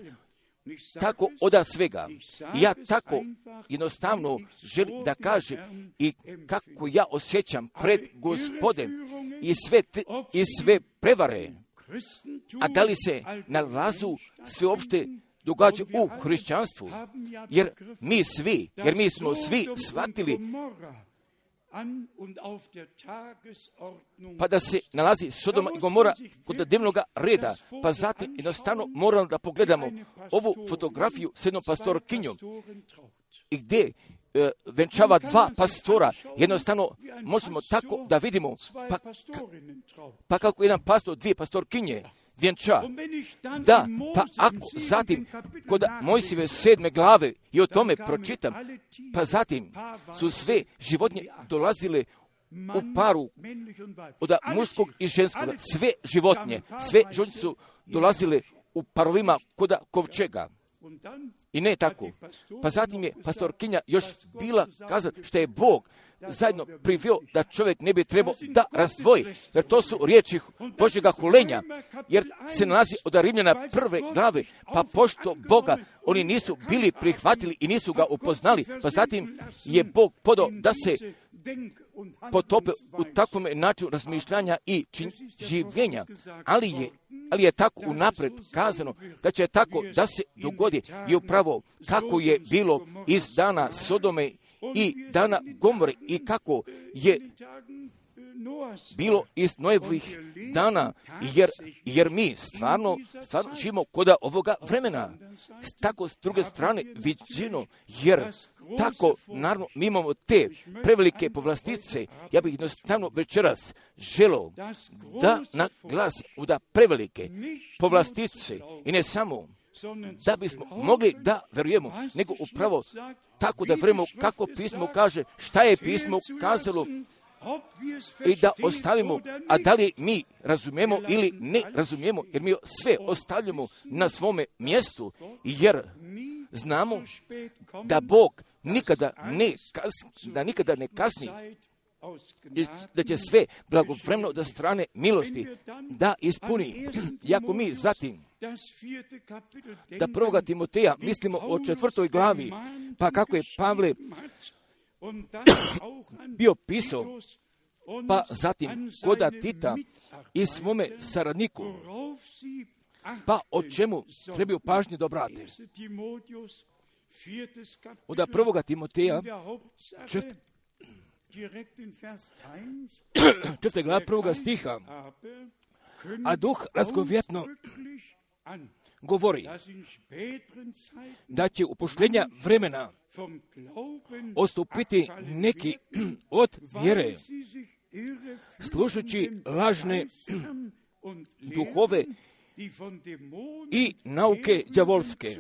tako oda svega. I ja tako jednostavno želim da kažem i kako ja osjećam pred Gospodem i sve, te, i sve prevare, a da li se nalazu sveopšte događa u hrišćanstvu, jer mi svi, jer mi smo svi shvatili pa da se nalazi Sodoma i Gomora kod dnevnog reda, pa zatim jednostavno moramo da pogledamo ovu fotografiju s jednom pastorkinjom i gdje e, venčava dva pastora, jednostavno možemo tako da vidimo, pa, pa kako jedan pastor, dvije pastorkinje vjenča. Da, pa ako zatim kod Mojsijeve sedme glave i o tome pročitam, pa zatim su sve životinje dolazile u paru od muškog i ženskog, sve životinje, sve životinje su dolazile u parovima kod kovčega. I ne tako. Pa zatim je pastorkinja još bila kazati što je Bog zajedno priveo da čovjek ne bi trebao da razdvoji, jer to su riječi Božjega hulenja, jer se nalazi od Rimljana prve glave, pa pošto Boga oni nisu bili prihvatili i nisu ga upoznali, pa zatim je Bog podao da se potope u takvom načinu razmišljanja i čin, življenja, ali je, ali je tako unapred kazano da će tako da se dogodi i upravo kako je bilo iz dana Sodome i dana Gomore i kako je bilo iz Noevih dana, jer, jer mi stvarno, stvarno živimo koda ovoga vremena. Tako s druge strane viđeno, jer tako, naravno, mi imamo te prevelike povlastice. Ja bih jednostavno večeras želeo da naglasim da prevelike povlastice i ne samo da bismo mogli da verujemo, nego upravo tako da verujemo kako pismo kaže, šta je pismo kazalo, i da ostavimo, a da li mi razumijemo ili ne razumijemo, jer mi sve ostavljamo na svome mjestu, jer znamo da Bog nikada ne kasni, da nikada ne kasni, da će sve blagovremeno da strane milosti da ispuni. Jako mi zatim da prvoga Timoteja mislimo o četvrtoj glavi, pa kako je Pavle bio pisao pa zatim koda Tita i svome saradniku, pa o čemu trebaju pažnje da obrate. Od prvoga Timoteja, četvrta glava prvoga stiha, a duh razgovjetno govori da će u posljednja vremena odstupiti neki od vjere, slušajući lažne duhove i nauke đavolske.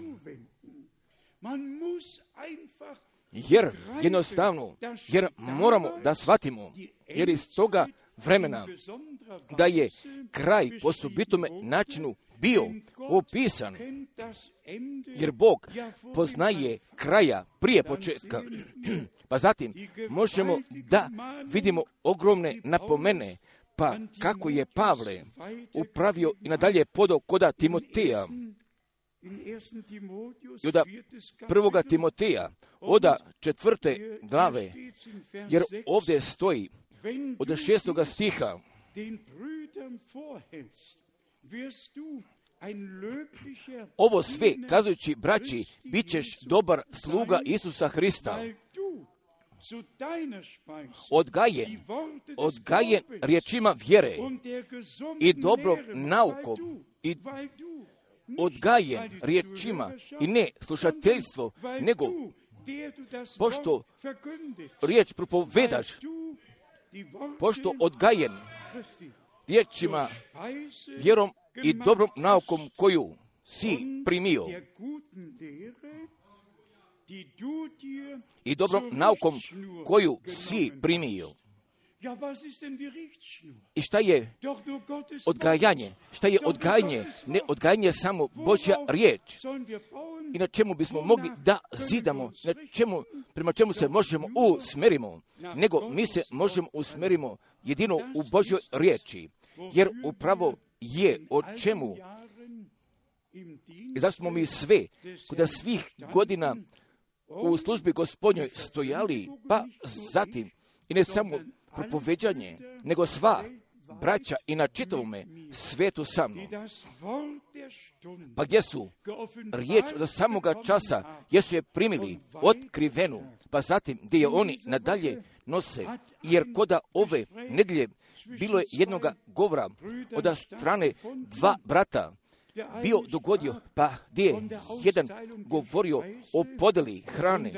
Jer jednostavno, jer moramo da shvatimo, jer iz toga vremena da je kraj po osobitome načinu bio opisan, jer Bog poznaje kraja prije početka. Pa zatim možemo da vidimo ogromne napomene, pa kako je Pavle upravio i nadalje podao koda Timoteja. I od prvoga Timoteja, od četvrte glave, jer ovdje stoji od šestoga stiha, ovo sve, kazujući braći, bit ćeš dobar sluga Isusa Hrista, odgajen, odgajen riječima vjere i dobrom naukom, i odgajen riječima i ne slušateljstvo, nego pošto riječ propovedaš, pošto odgajen riječima, vjerom i dobrom naukom koju si primio, i dobrom naukom koju si primio. I šta je odgajanje? Šta je odgajanje? Ne odgajanje samo Božja riječ. I na čemu bismo mogli da zidamo, na čemu, prema čemu se možemo usmerimo, nego mi se možemo usmerimo jedino u Božjoj riječi. Jer upravo je o čemu, i da smo mi sve, kod svih godina u službi Gospodnjoj stojali, pa zatim, i ne samo propoveđanje, nego sva braća i na čitavome svetu sa mnom. Pa gdje su riječ od samoga časa, gdje su je primili otkrivenu, pa zatim gdje je oni nadalje nose, jer koda ove nedjelje bilo je jednoga govora od strane dva brata, bio dogodio, pa gdje je jedan govorio o podeli hrane,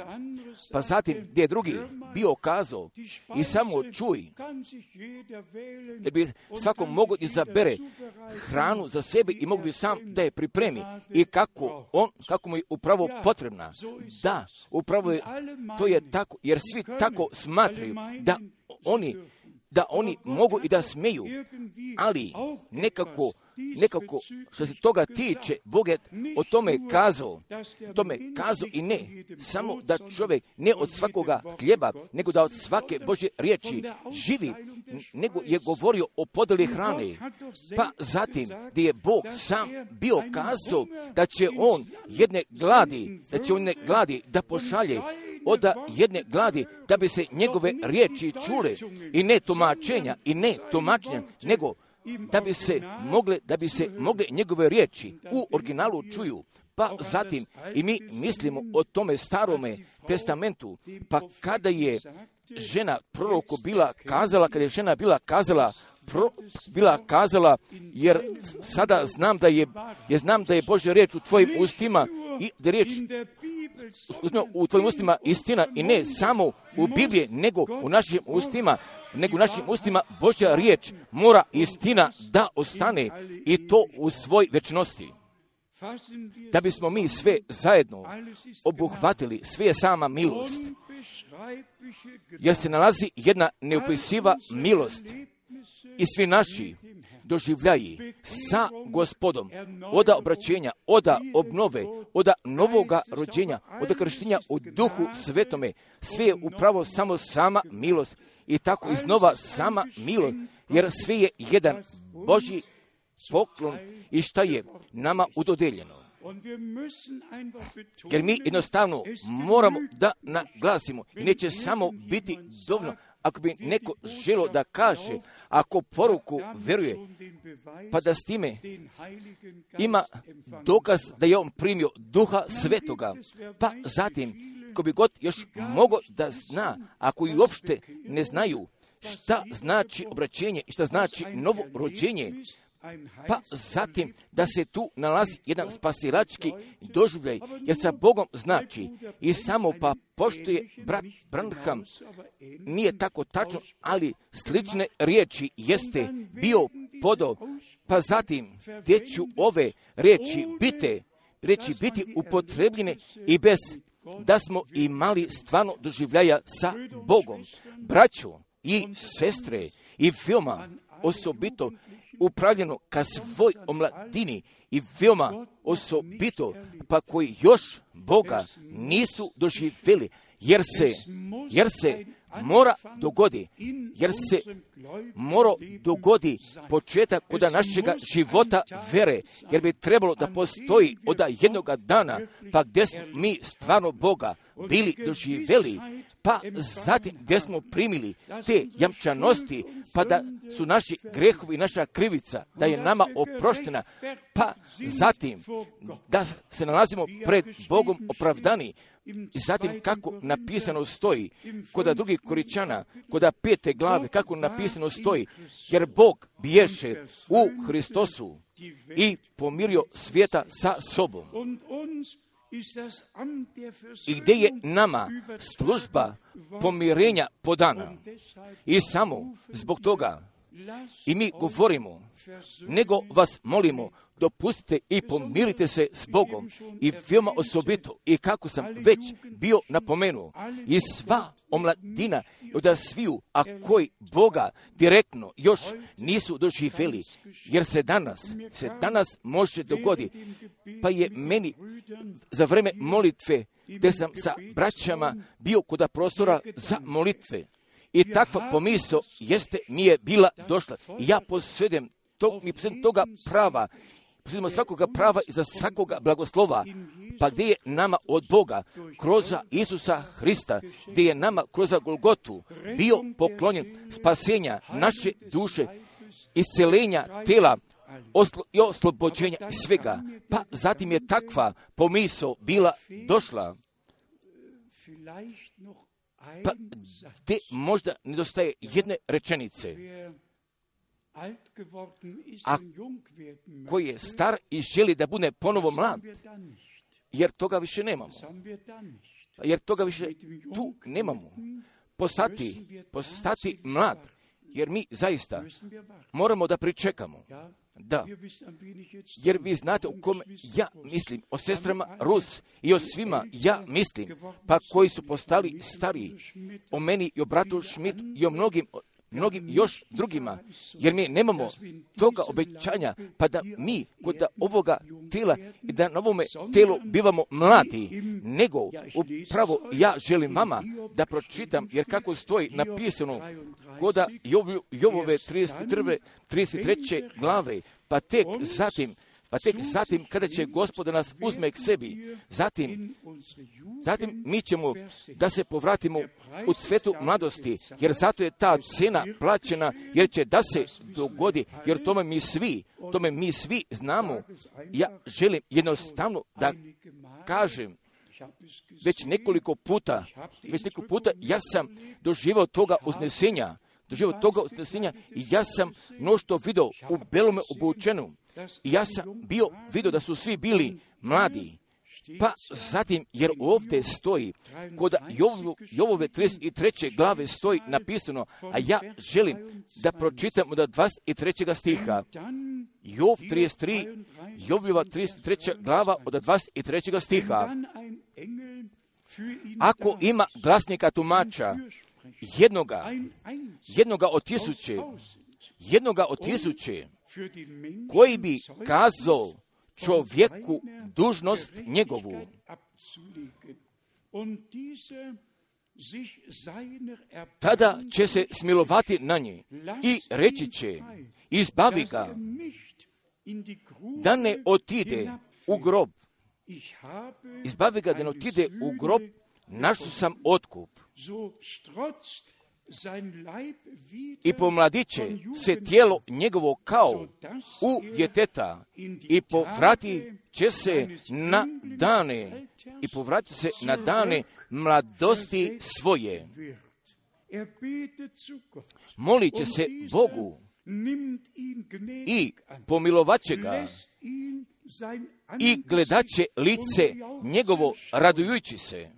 pa zatim gdje je drugi bio kazao i samo čuj, jer bi svako mogo izabere hranu za sebe i mogu bi sam da je pripremi i kako on, kako mu je upravo potrebna. Da, upravo je, to je tako, jer svi tako smatraju da oni da oni mogu i da smeju, ali nekako, nekako što se toga tiče, Bog je o tome kazao, tome kazao i ne, samo da čovjek ne od svakoga hljeba, nego da od svake Božje riječi živi, nego je govorio o podeli hrane. Pa zatim, gdje je Bog sam bio kazao da će on jedne gladi, da će on ne gladi da pošalje od jedne gladi, da bi se njegove riječi čule i ne tumačenja, i ne tumačenja, nego da bi se mogle, da bi se mogle njegove riječi u originalu čuju. Pa zatim i mi mislimo o tome starome testamentu, pa kada je žena proroku bila kazala, kada je žena bila kazala, pro, bila kazala, jer sada znam da je, jer znam da je Božja riječ u tvojim ustima i da je riječ u tvojim ustima istina i ne samo u Bibliji, nego u našim ustima, nego u našim ustima Božja riječ mora istina da ostane i to u svoj večnosti. Da bismo mi sve zajedno obuhvatili, sve je sama milost, jer se nalazi jedna neopisiva milost i svi naši doživljaji sa Gospodom, oda obraćenja, oda obnove, oda novoga rođenja, oda krštenja u Duhu Svetome, sve je upravo samo sama milost i tako iznova sama milost, jer sve je jedan Božji poklon i šta je nama udodeljeno. Jer mi jednostavno moramo da naglasimo i neće samo biti dovoljno ako bi neko želo da kaže, ako poruku veruje, pa da s time ima dokaz da je on primio Duha Svetoga, pa zatim, ko bi god još mogao da zna, ako i uopšte ne znaju šta znači obraćenje i šta znači novo rođenje, pa zatim da se tu nalazi jedan spasilački doživljaj, jer sa Bogom znači i samo pa pošto je brat Branham, nije tako tačno, ali slične riječi jeste bio podao, pa zatim gdje ću ove riječi bite, riječi biti upotrebljene i bez da smo imali stvarno doživljaja sa Bogom. Braćo i sestre i veoma osobito upravljeno ka svoj omladini i veoma osobito pa koji još Boga nisu doživjeli, jer se, jer se mora dogodi, jer se mora dogodi početak kod našega života vere, jer bi trebalo da postoji od jednoga dana, pa gdje smo mi stvarno Boga bili doživjeli, pa zatim gdje smo primili te jamčanosti, pa da su naši grehovi i naša krivica, da je nama oproštena, pa zatim da se nalazimo pred Bogom opravdani. I zatim kako napisano stoji, kod drugih Koričana, kod pete glave, kako napisano stoji, jer Bog biješe u Hristosu i pomirio svijeta sa sobom. I gdje je nama služba pomirenja podana. I samo zbog toga i mi govorimo, nego vas molimo, dopustite i pomirite se s Bogom. I veoma osobito, i kako sam već bio napomenuo, i sva omladina od sviju, a koji Boga direktno još nisu doživjeli, jer se danas, se danas može dogoditi. Pa je meni za vreme molitve, gdje sam sa braćama bio kod prostora za molitve, i takva pomisao jeste mi je bila došla. I ja posjedujem tog, mi posjedujem toga prava, posjedujemo svakoga prava i za svakoga blagoslova, pa gdje je nama od Boga, kroz Isusa Hrista, gdje je nama kroz Golgotu bio poklonjen spasenja naše duše, iscelenja tela oslo, i oslobođenja svega. Pa zatim je takva pomisao bila došla. Pa gdje možda nedostaje jedne rečenice. A koji je star i želi da bude ponovo mlad, jer toga više nemamo. Jer toga više tu nemamo. Postati, postati mlad, jer mi zaista moramo da pričekamo. Da, jer vi znate o kome ja mislim, o sestrama Rus i o svima ja mislim, pa koji su postali stariji, o meni i o bratu Schmidt i o mnogim, mnogim još drugima, jer mi nemamo toga obećanja, pa da mi kod ovoga tela i da na ovome telu bivamo mladi, nego upravo ja želim vama da pročitam, jer kako stoji napisano kod Jovove trideset treće glave, pa tek zatim, pa tek zatim kada će Gospod nas uzme k sebi, zatim, zatim mi ćemo da se povratimo u cvetu mladosti, jer zato je ta cena plaćena, jer će da se dogodi, jer tome mi svi, tome mi svi znamo. Ja želim jednostavno da kažem, već nekoliko puta, već nekoliko puta ja sam doživao toga uznesenja, doživao toga uznesenja i ja sam mnoštvo vidio u belome obučenu. I ja sam bio vidio da su svi bili mladi. Pa zatim, jer ovdje stoji, kod Jovove trideset treće glave stoji napisano, a ja želim da pročitam od dvadeset trećeg stiha. Jov trideset tri, Jovljova trideset treća glava od dvadeset trećeg stiha. Ako ima glasnika tumača, jednoga, jednoga od tisuće, jednoga od tisuće, koji bi kazao čovjeku dužnost njegovu, tada će se smilovati na nje i reći će, izbavi ga, da ne otide u grob. Izbavi ga da ne otide u grob, našao sam otkup. i pomladiće se tijelo njegovo kao u djeteta i povrati će se na dane i povrati se na dane mladosti svoje. Molit će se Bogu i pomilovat će ga i gledat će lice njegovo radujući se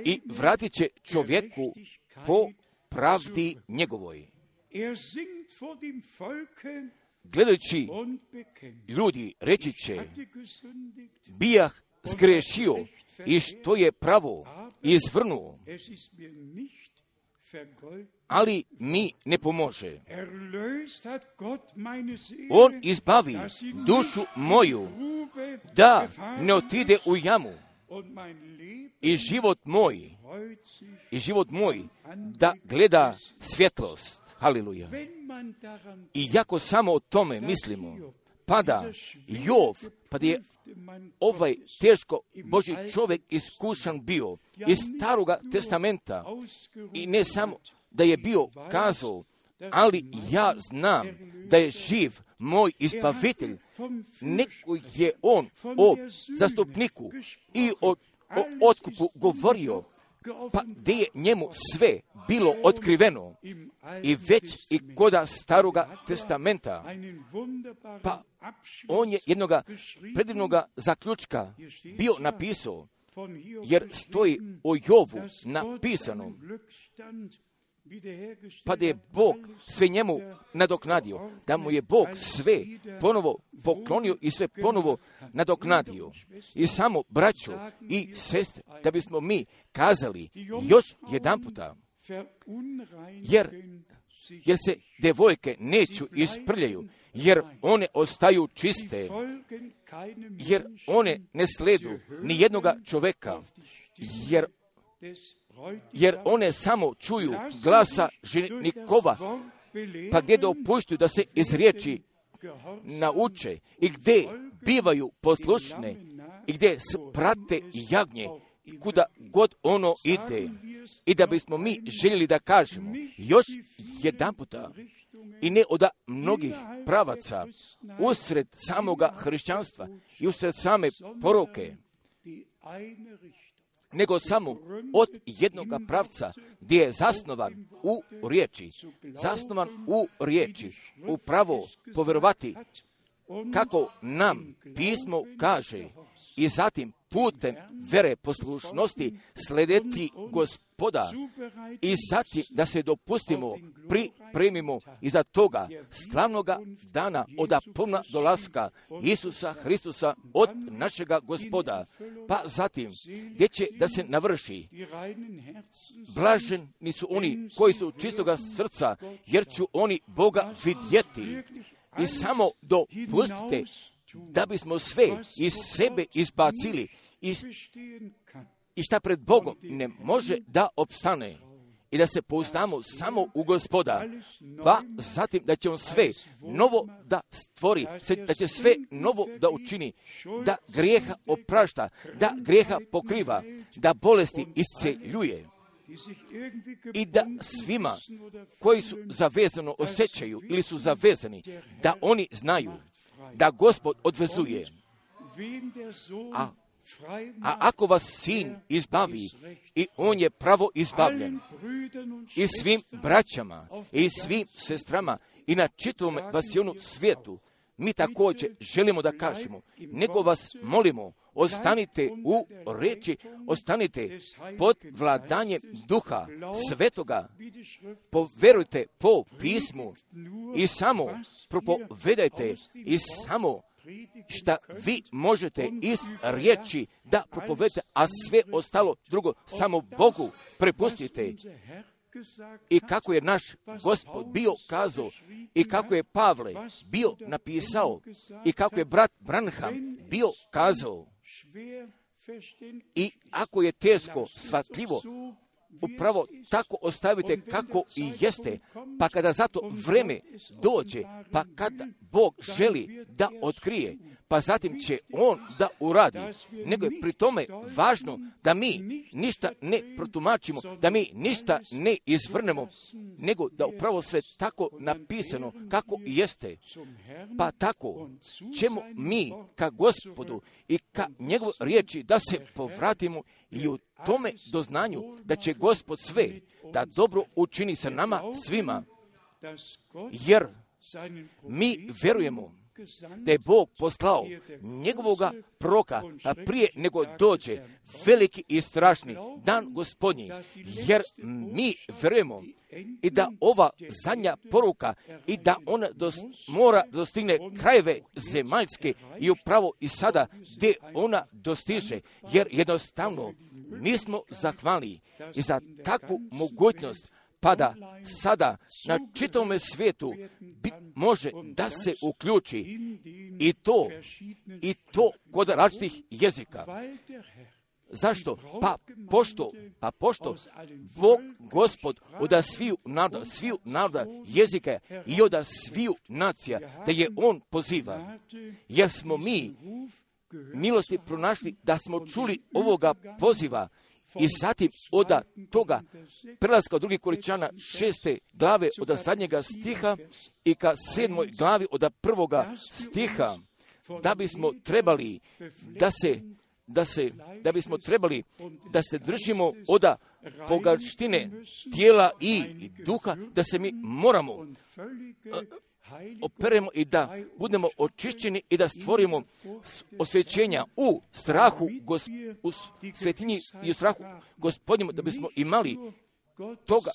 i vratit će čovjeku po pravdi njegovoj. Gledajući ljudi reći će, bijah zgrešio i što je pravo izvrnuo, ali mi ne pomože. On izbavi dušu moju da ne otide u jamu i život moj, i život moj da gleda svjetlost. Haleluja. I jako samo o tome mislimo, pada Jov, pa je ovaj teško Božji čovjek iskušan bio iz Staroga testamenta i ne samo da je bio kazao, ali ja znam da je živ moj izbavitelj, neko je on o zastupniku i o, o otkupu govorio, pa gdje je njemu sve bilo otkriveno i već i koda Staroga testamenta, pa on je jednoga predivnoga zaključka bio napisao, jer stoji o Jovu napisano, pa da je Bog sve njemu nadoknadio, da mu je Bog sve ponovo poklonio i sve ponovo nadoknadio. I samo, braćo i sestre, da bismo mi kazali još jedan puta, jer, jer se devojke neću isprljaju, jer one ostaju čiste, jer one ne sledu ni jednoga čoveka, jer jer one samo čuju glasa ženikova, pa gdje dopuštuju da se iz riječi nauče i gdje bivaju poslušne i gdje prate jagnje kuda god ono ide. I da bismo mi željeli da kažemo još jedan puta i ne od mnogih pravaca usred samoga hrišćanstva i usred same poroke, nego samo od jednoga pravca gdje je zasnovan u riječi, zasnovan u riječi, upravo povjerovati kako nam pismo kaže i zatim putem vere poslušnosti sledeti Gospoda i zatim da se dopustimo, pripremimo iza toga slavnoga dana od puna dolaska Isusa Hristusa od našega Gospoda, pa zatim gdje će da se navrši. Blaženi su oni koji su čistoga srca, jer ću oni Boga vidjeti. I samo dopustite da bismo sve iz sebe izbacili i, i šta pred Bogom ne može da opstane i da se pouzdamo samo u Gospoda, pa zatim da će on sve novo da stvori, da će sve novo da učini, da grijeha oprašta, da grijeha pokriva, da bolesti isceljuje i da svima koji su zavezano osjećaju ili su zavezani, da oni znaju da Gospod odvezuje. A, a ako vas sin izbavi, i on je pravo izbavljen, i svim braćama, i svim sestrama, i na čitavom vasionu svijetu, mi također želimo da kažemo, nego vas molimo, ostanite u reči, ostanite pod vladanjem Duha Svetoga, poverujte po pismu i samo propovedajte i samo šta vi možete iz riječi da propovedete, a sve ostalo drugo samo Bogu prepustite. I kako je naš Gospod bio kazao, i kako je Pavle bio napisao, i kako je brat Branham bio kazao. I ako je teško, shvatljivo, upravo tako ostavite kako i jeste, pa kada zato vreme dođe, pa kada Bog želi da otkrije, pa zatim će on da uradi. Nego je pri tome važno da mi ništa ne protumačimo, da mi ništa ne izvrnemo, nego da upravo sve tako napisano kako jeste. Pa tako ćemo mi ka Gospodu i ka njegov riječi da se povratimo i u tome doznanju da će Gospod sve da dobro učini sa nama svima. Jer mi vjerujemo da je Bog poslao njegovoga proroka prije nego dođe veliki i strašni dan Gospodnji, jer mi vjerujemo i da ova zadnja poruka i da ona dos, mora dostigne krajeve zemaljske i upravo i sada gdje ona dostiže, jer jednostavno mi smo zahvalni i za takvu mogućnost, pa da sada na čitavom svijetu bi, može da se uključi i to, i to kod različitih jezika. Zašto? Pa pošto, pa pošto Bog, Gospod, od sviju naroda, sviju naroda jezika i od sviju nacija, da je On poziva, jer smo mi milosti pronašli da smo čuli ovoga poziva. I zatim od toga prelaska od drugih Korinčana šeste glave od zadnjega stiha i ka sedmoj glavi od prvoga stiha, da bismo trebali da se, da se, da bismo trebali da se držimo od bogatštine tijela i duha, da se mi moramo operemo i da budemo očišćeni i da stvorimo osvećenja u strahu, gos, u svetinji i u strahu Gospodnjemu, da bismo imali toga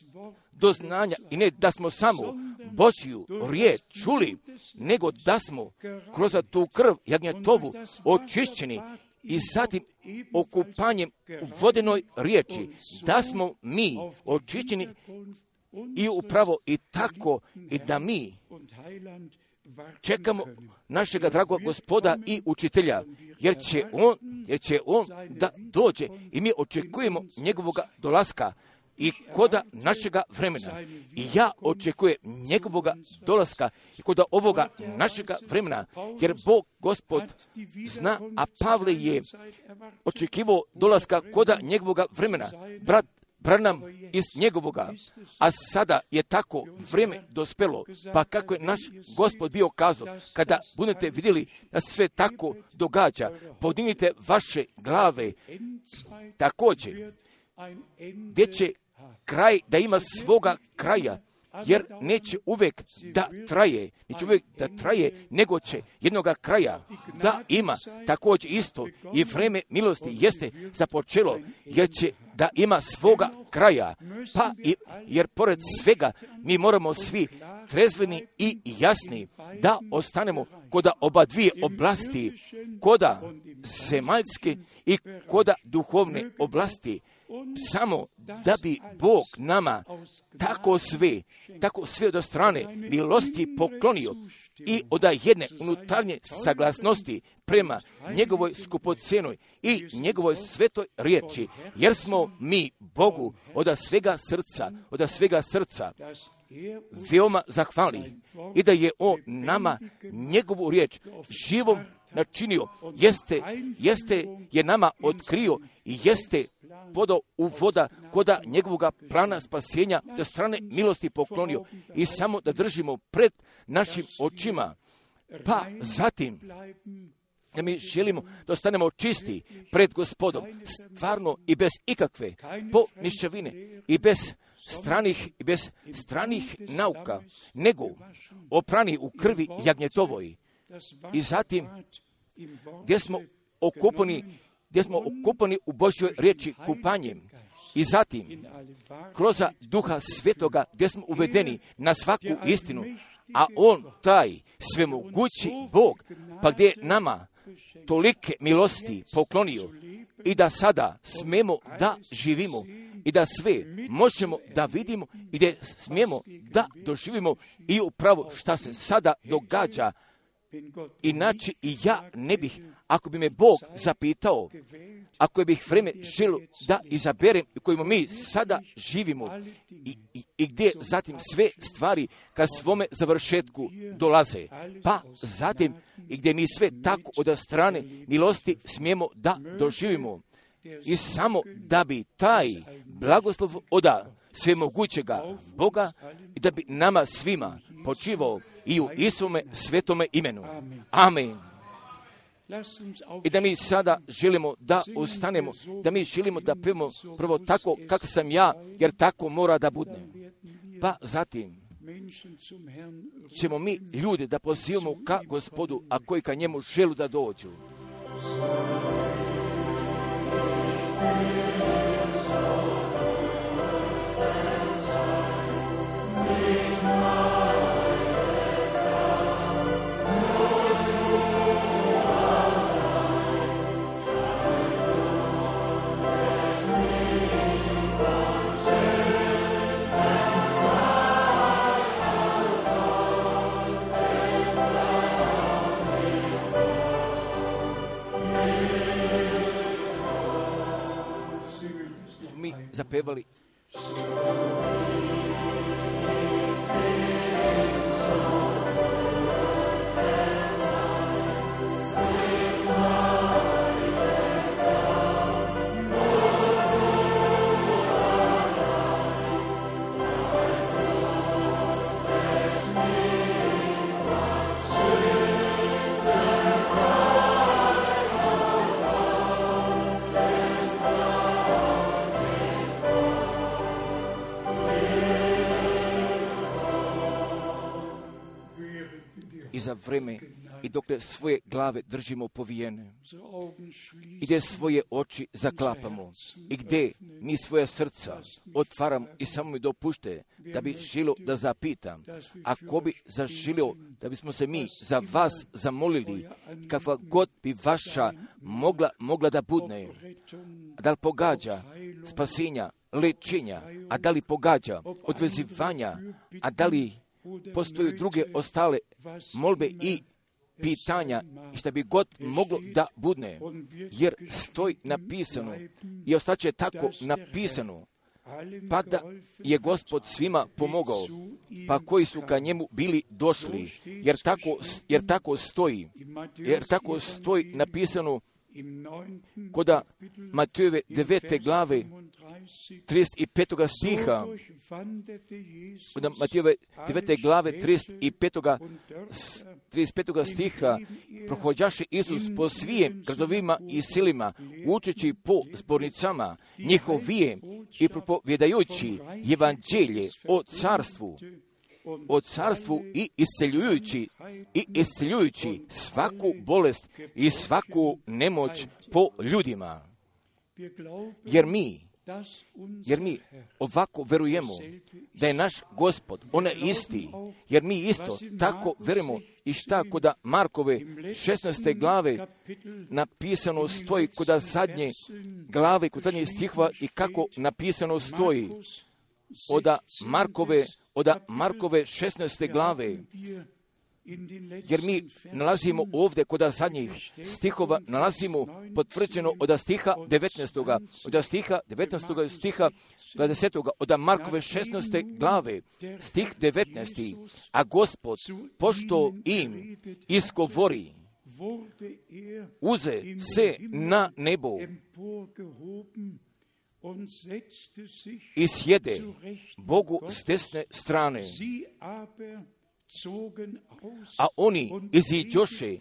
doznanja i ne da smo samo Božju riječ čuli, nego da smo kroz tu krv jagnjetovu očišćeni i zatim okupanjem u vodenoj riječi, da smo mi očišćeni i upravo i tako i da mi čekamo našega dragog Gospoda i učitelja, jer će on, jer će on da dođe i mi očekujemo njegovoga dolaska i koda našega vremena. I ja očekujem njegovoga dolaska i koda ovoga našega vremena, jer Bog Gospod zna, a Pavle je očekivao dolaska koda njegovoga vremena. Brat Branham iz njegovoga, a sada je tako vrijeme dospelo, pa kako je naš Gospod bio kazao, kada budete vidjeli da sve tako događa, podignite vaše glave, također, gdje će kraj da ima svoga kraja, jer neće uvijek da traje, neće uvijek da traje, nego će jednoga kraja da ima. Također isto i vrijeme milosti jeste započelo, jer će da ima svoga kraja. Pa i, jer pored svega mi moramo svi trezveni i jasni da ostanemo koda oba dvije oblasti, koda zemaljske i koda duhovne oblasti, samo da bi Bog nama tako sve, tako sve od strane milosti poklonio i od jedne unutarnje saglasnosti prema njegovoj skupocenoj i njegovoj svetoj riječi, jer smo mi Bogu od svega srca, od svega srca veoma zahvalni i da je On nama njegovu riječ živom načinio, jeste, jeste je nama otkrio i jeste podao u voda koda njegovoga plana spasenja do strane milosti poklonio i samo da držimo pred našim očima. Pa zatim da mi želimo da ostanemo čisti pred Gospodom, stvarno i bez ikakve pomišljavine i bez stranih i bez stranih nauka, nego oprani u krvi jagnjetovoj. I zatim gdje smo okupani, gdje smo okupani u Božjoj riječi kupanjem. I zatim kroz Duha Svetoga gdje smo uvedeni na svaku istinu, a On taj svemogući Bog, pa gdje je nama tolike milosti poklonio i da sada smemo da živimo i da sve možemo da vidimo i da smijemo da doživimo i upravo šta se sada događa Inače i ja ne bih, ako bi me Bog zapitao, ako bih vreme želio da izaberem u kojima mi sada živimo i, i, i gdje zatim sve stvari ka svome završetku dolaze, pa zatim i gdje mi sve tako od strane milosti smijemo da doživimo. I samo da bi taj blagoslov oda svemogućega Boga i da bi nama svima počivao i u Isuvome svetome imenu. Amen. I da mi sada želimo da ustanemo, da mi želimo da pevamo prvo tako kako sam ja, jer tako mora da bude. Pa zatim ćemo mi ljude da pozivamo ka Gospodu, a koji ka njemu želu da dođu. Zapevali. I za vreme i dokle svoje glave držimo povijene i gdje svoje oči zaklapamo i gdje mi svoja srca otvaramo i samo mi dopušte da bi želio da zapitam, ako bi zaželio da bismo se mi za vas zamolili, kakva god bi vaša mogla, mogla da budne, da li pogađa spasenja, lečenja, a da li pogađa odvezivanja, a da li postoje druge ostale molbe i pitanja što bi god moglo da budne, jer stoji napisano i ostaće tako napisano, pa da je Gospod svima pomogao, pa koji su ka njemu bili došli, jer tako, jer tako stoji, jer tako stoji napisano koda Matejove devete glave trideset pet stiha, koda Matejove devete glave trideset pet stiha, prohođaše Isus po svijem gradovima i selima, učeći po zbornicama njihovijem i propovjedajući evanđelje o carstvu, o carstvu i isceljujući i isceljujući svaku bolest i svaku nemoć po ljudima. Jer mi, jer mi ovako verujemo da je naš Gospod, on je isti, jer mi isto tako verujemo i šta koda Markove šesnaeste glave napisano stoji, koda zadnje glave, kod zadnje stihva i kako napisano stoji, oda Markove Oda Markove šesnaeste glave, jer mi nalazimo ovdje kod zadnjih stihova, nalazimo potvrđeno od stiha devetnaestog od stiha devetnaestog stiha dvadesetog od Markove šesnaeste glave, stih devetnaesti, a Gospod, pošto im izgovori, uze se na nebo i sjede Bogu s desne strane. A oni iziđoše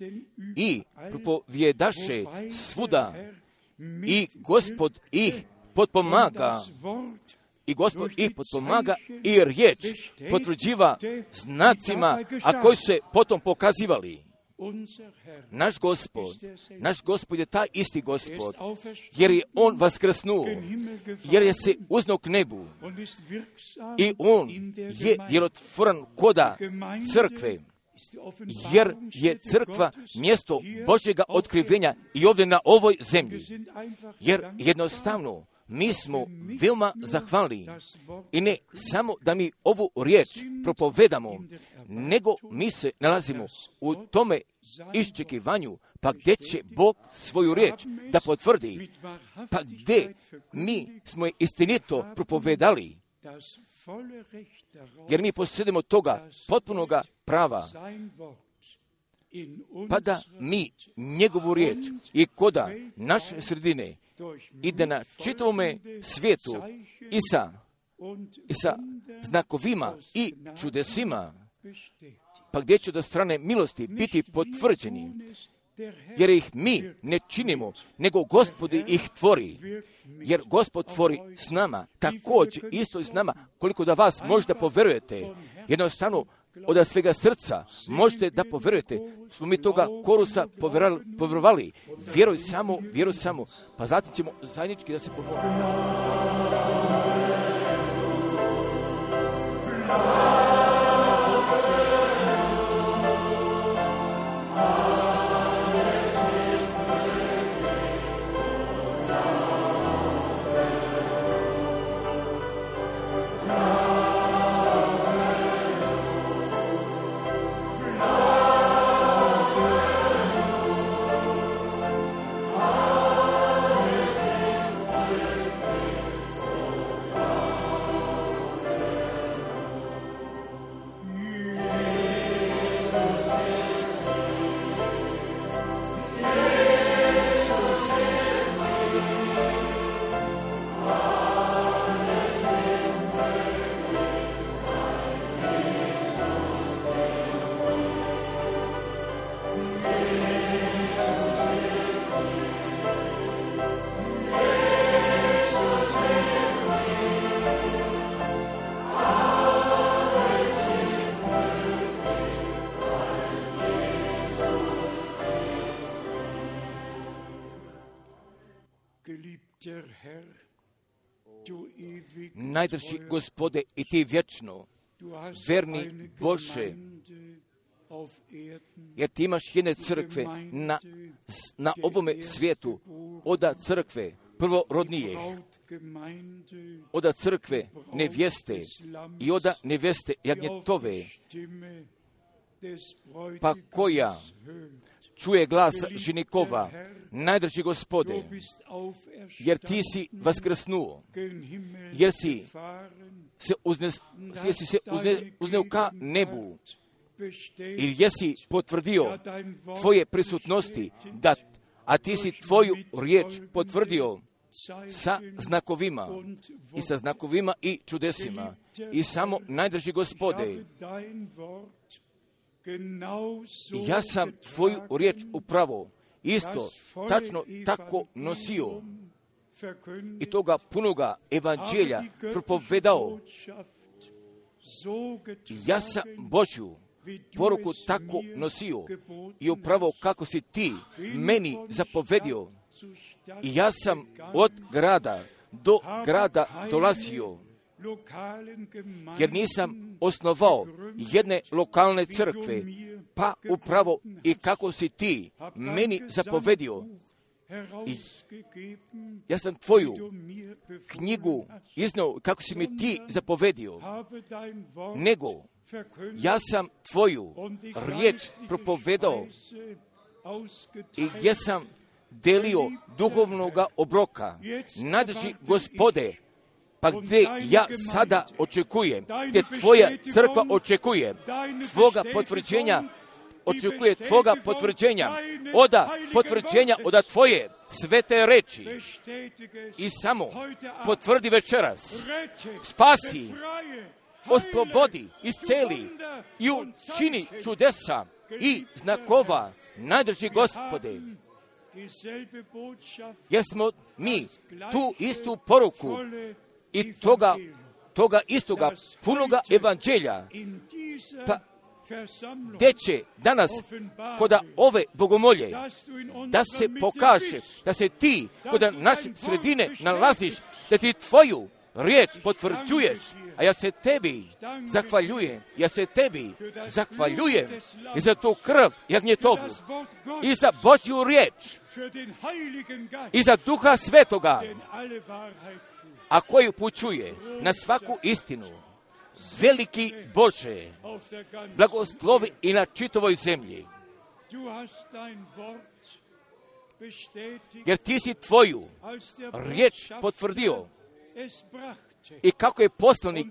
i propovjedaše svuda i Gospod ih potpomaga i Gospod ih potpomaga i riječ potvrđiva znacima, a koji se potom pokazivali. Naš Gospod, naš Gospod je taj isti Gospod, jer je On vaskrsnuo, jer je se uznao k nebu i On je djelotvoran koda crkve, jer je crkva mjesto Božjega otkrivenja i ovdje na ovoj zemlji. Jer jednostavno mi smo veoma zahvalni i ne samo da mi ovu riječ propovedamo, nego mi se nalazimo u tome iščekivanju, pa gdje će Bog svoju riječ da potvrdi, pa gdje mi smo je istinito propovedali, jer mi posjedimo toga potpunoga prava, pa da mi njegovu riječ i koda naše sredine i da na čitavome svijetu i sa, i sa znakovima i čudesima, pa gdje će do strane milosti biti potvrđeni, jer ih mi ne činimo, nego Gospod ih tvori, jer Gospod tvori s nama, također isto i s nama, koliko da vas možda poverujete, jednostavno od svega srca možete da poverujete, smo mi toga korusa povjerovali, vjeruj samo, vjeruj samo, pa zatim ćemo zajednički da se pomolimo. Najdrži Gospode i ti vječno, verni Bože, jer ti imaš jedne crkve na, na ovome svijetu, oda crkve prvorodnijih, oda crkve nevjeste i oda nevjeste jagnjetove, pa koja čuje glas ženikova, najdrži Gospode, jer ti si vaskrsnuo, jer si se, uznes, jer si se uzne, uzneo ka nebu, i jesi potvrdio tvoje prisutnosti, da, a ti si tvoju riječ potvrdio sa znakovima i sa znakovima i čudesima. I samo najdrži Gospode, ja sam tvoju riječ upravo isto tačno tako nosio i toga punoga evanđelja propovedao. Ja sam Božju poruku tako nosio i upravo kako si ti meni zapovedio. I ja sam od grada do grada dolazio, jer nisam osnovao jedne lokalne crkve, pa upravo i kako si ti meni zapovedio. I ja sam tvoju knjigu iznao kako si mi ti zapovedio, nego ja sam tvoju riječ propovedao i gdje sam delio duhovnoga obroka. Najdrži Gospode, pa gdje ja sada očekujem, gdje tvoja crkva očekuje tvoga potvrđenja, očekuje tvoga potvrđenja, oda potvrđenja, oda tvoje svete reči. I samo potvrdi večeras, spasi, oslobodi, isceli i učini čudesa i znakova. Najdrži Gospode, jer smo mi tu istu poruku i toga, toga istoga punoga evanđelja, pa gdje će danas koda ove bogomolje da se pokaže, da se ti koda naše sredine nalaziš, da ti tvoju riječ potvrđuješ, A ja se tebi zahvaljujem, ja se tebi zahvaljujem i za tu krv jagnjetovu, i za Božju riječ, i za Duha Svetoga, a koji upućuje na svaku istinu. Veliki Bože, blagoslovi i na čitavoj zemlji, jer ti si tvoju riječ potvrdio i kako je poslanik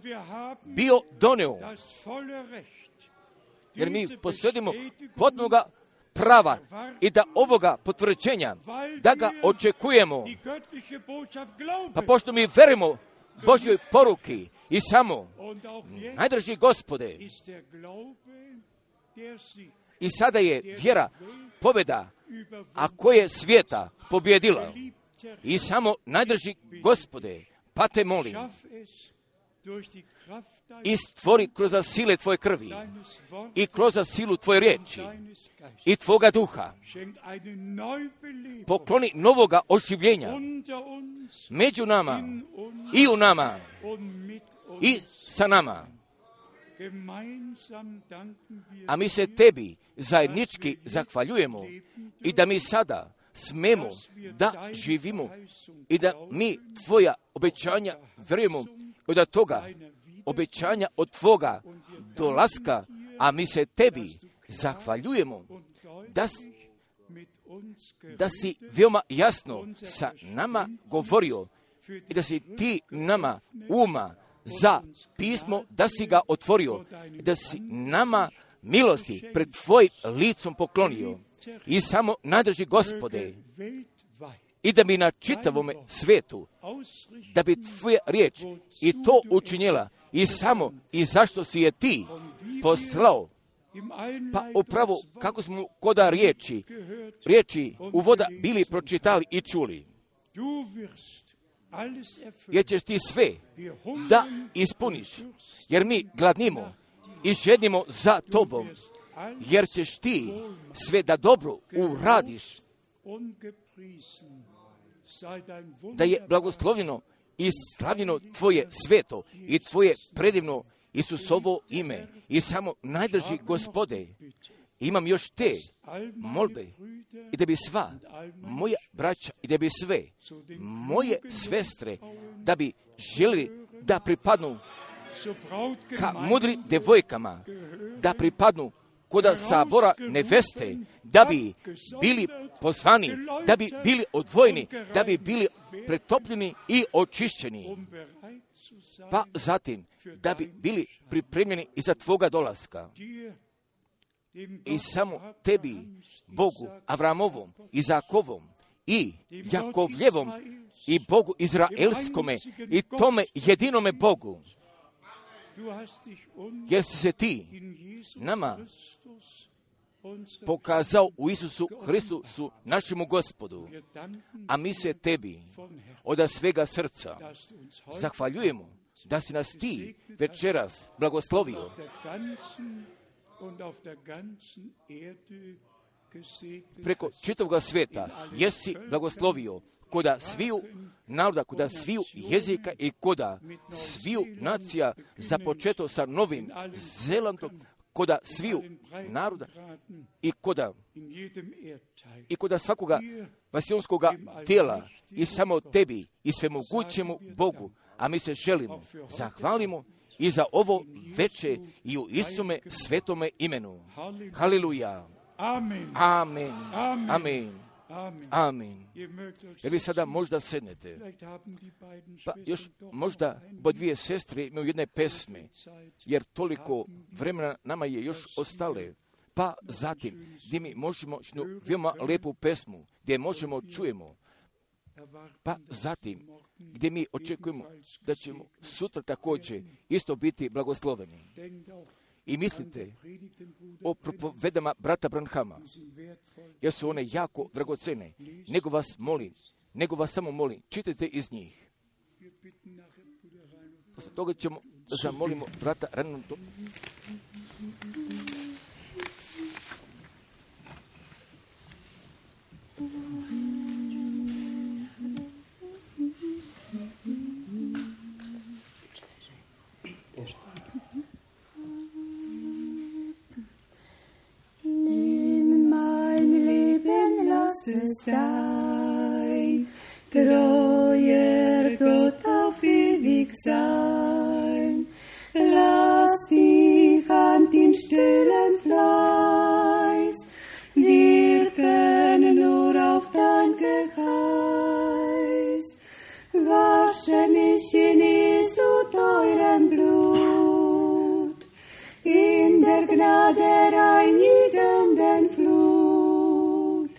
bio doneo, jer mi posjedimo potpunoga prava i da ovoga potvrđenja, da ga očekujemo, pa pošto mi verujemo Božjoj poruki i samo, najdraži Gospode, i sada je vjera pobjeda, a koje je svijeta pobjedila, i samo, najdraži Gospode, pa te molim, i stvori kroz sile tvoje krvi i kroz silu tvoje riječi i tvoga duha, pokloni novoga oživljenja među nama i u nama i sa nama. A mi se tebi zajednički zahvaljujemo i da mi sada smemo da živimo i da mi tvoja obećanja verujemo i da toga obećanja od tvoga dolaska, a mi se tebi zahvaljujemo da, da si veoma jasno sa nama govorio i da si ti nama uma za pismo, da si ga otvorio, da si nama milosti pred tvojim licom poklonio. I samo nadrži Gospode, i da bi na čitavome svetu, da bi tvoja riječ i to učinjela, i samo i zašto si je ti poslao, pa upravo kako smo koda riječi, riječi uvoda bili pročitali i čuli, jer ćeš ti sve da ispuniš, jer mi gladnimo i žednimo za tobom, jer ćeš ti sve da dobro uradiš, da je blagoslovljeno i slavljeno tvoje sveto i tvoje predivno Isusovo ime. I samo najdrži Gospode, imam još te molbe, i da bi sva moja braća i da bi sve moje svestre, da bi želi da pripadnu ka mudri devojkama, da pripadnu koda sabora neveste, da bi bili pozvani, da bi bili odvojeni, da bi bili pretopljeni i očišćeni, pa zatim da bi bili pripremljeni i za tvoga dolaska. I samo tebi, Bogu Avramovom, Izakovom i Jakovljevom i Bogu Izraelskome i tome jedinome Bogu, jer si se ti nama pokazao u Isusu Hristusu, našemu Gospodu, a mi se tebi od svega srca zahvaljujemo da si nas ti večeras blagoslovio preko čitavog svijeta, jesi blagoslovio koda sviju naroda, koda sviju jezika i koda sviju nacija, započeto sa Novim Zelandom, koda sviju naroda i koda i koda svakoga vasionskoga tijela, i samo tebi i svemogućemu Bogu, a mi se želimo, zahvalimo i za ovo veče i u Isume svetome imenu. Haleluja. Amen. Amen. Amen. Amen. Jer vi sada možda sednete, pa još možda bo dvije sestre imaju jedne pesme, jer toliko vremena nama je još ostale, pa zatim gdje mi možemo jednu veoma lepu pesmu, gdje možemo čujemo, pa zatim gdje mi očekujemo da ćemo sutra također isto biti blagosloveni. I mislite o propovedama brata Branhama, jer su one jako dragocene. Nego vas molim, nego vas samo molim, čitajte iz njih. Posle toga ćemo zamolimo brata Renata. ist dein, treuer Gott auf ewig sein. Lass dich an den stillen Fleiß wirken nur auf dein Geheiß. Wasche mich in Jesu teurem Blut, in der Gnade reinigenden Flut.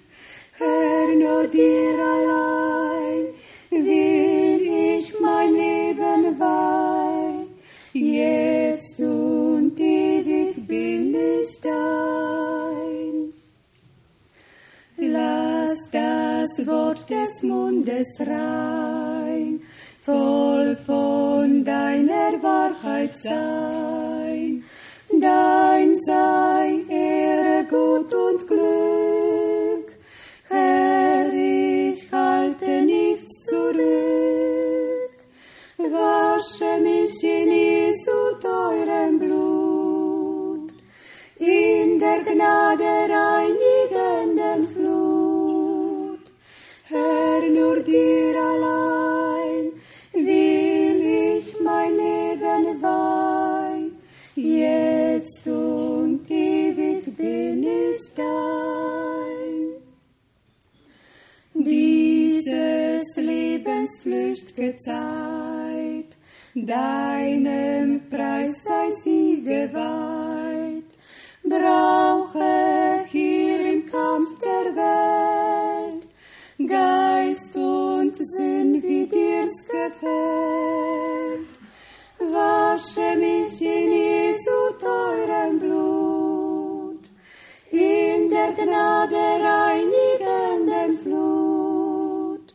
Herr, nur dir allein will ich mein Leben weihen, jetzt und ewig bin ich dein. Lass das Wort des Mundes rein, voll von deiner Wahrheit sein. Dein sei Ehre, Gut und Glück. Herr, ich halte nichts zurück. Wasche mich in Jesu teurem Blut, in der Gnade reinigenden Flut. Herr, nur dir allein will ich mein Leben weihen, jetzt und ewig bin ich dein. Dieses Lebens flücht'ge Zeit, deinem Preis sei sie geweiht. Brauche hier im Kampf der Welt Geist und Sinn, wie dir's gefällt. Wasche mich in Jesu teurem Blut, in der Gnade reinigenden Flut.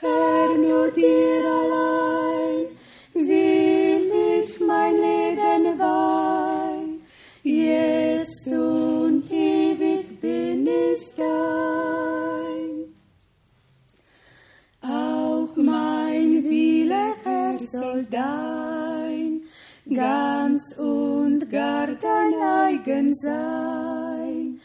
Herr, nur dir allein will ich mein Leben weihen, jetzt und ewig bin ich dein. Auch mein Wille, Herr, soll dein ganz und gar dein eigen sein.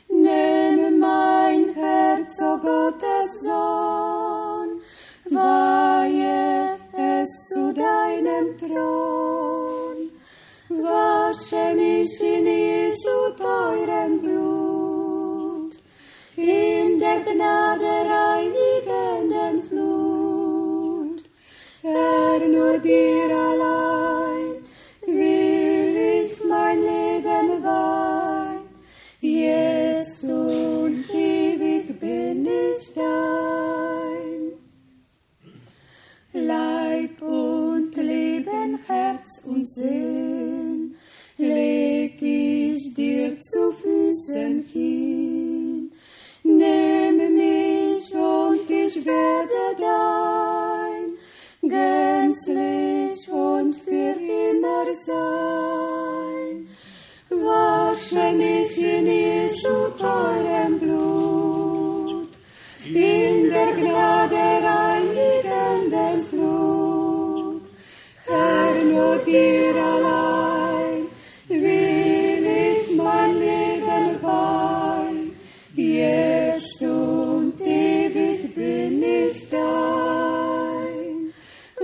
Nimm mein Herz, o Gottes Sohn, weihe es zu deinem Thron. Wasche mich in Jesu teurem Blut, in der Gnade reinigenden Flut. Herr, nur dir allein will ich mein Leben weihen, jetzt und ewig bin ich dein. Leib und Leben, Herz und Sinn leg ich dir zu Füßen hin. Nimm mich und ich werde dein, gänzlich und für immer sein. Wasche mich in Jesu teurem Blut, in der Gnade reinigenden Flut. Herr, nur dir allein will ich mein Leben weihen, jetzt und ewig bin ich dein.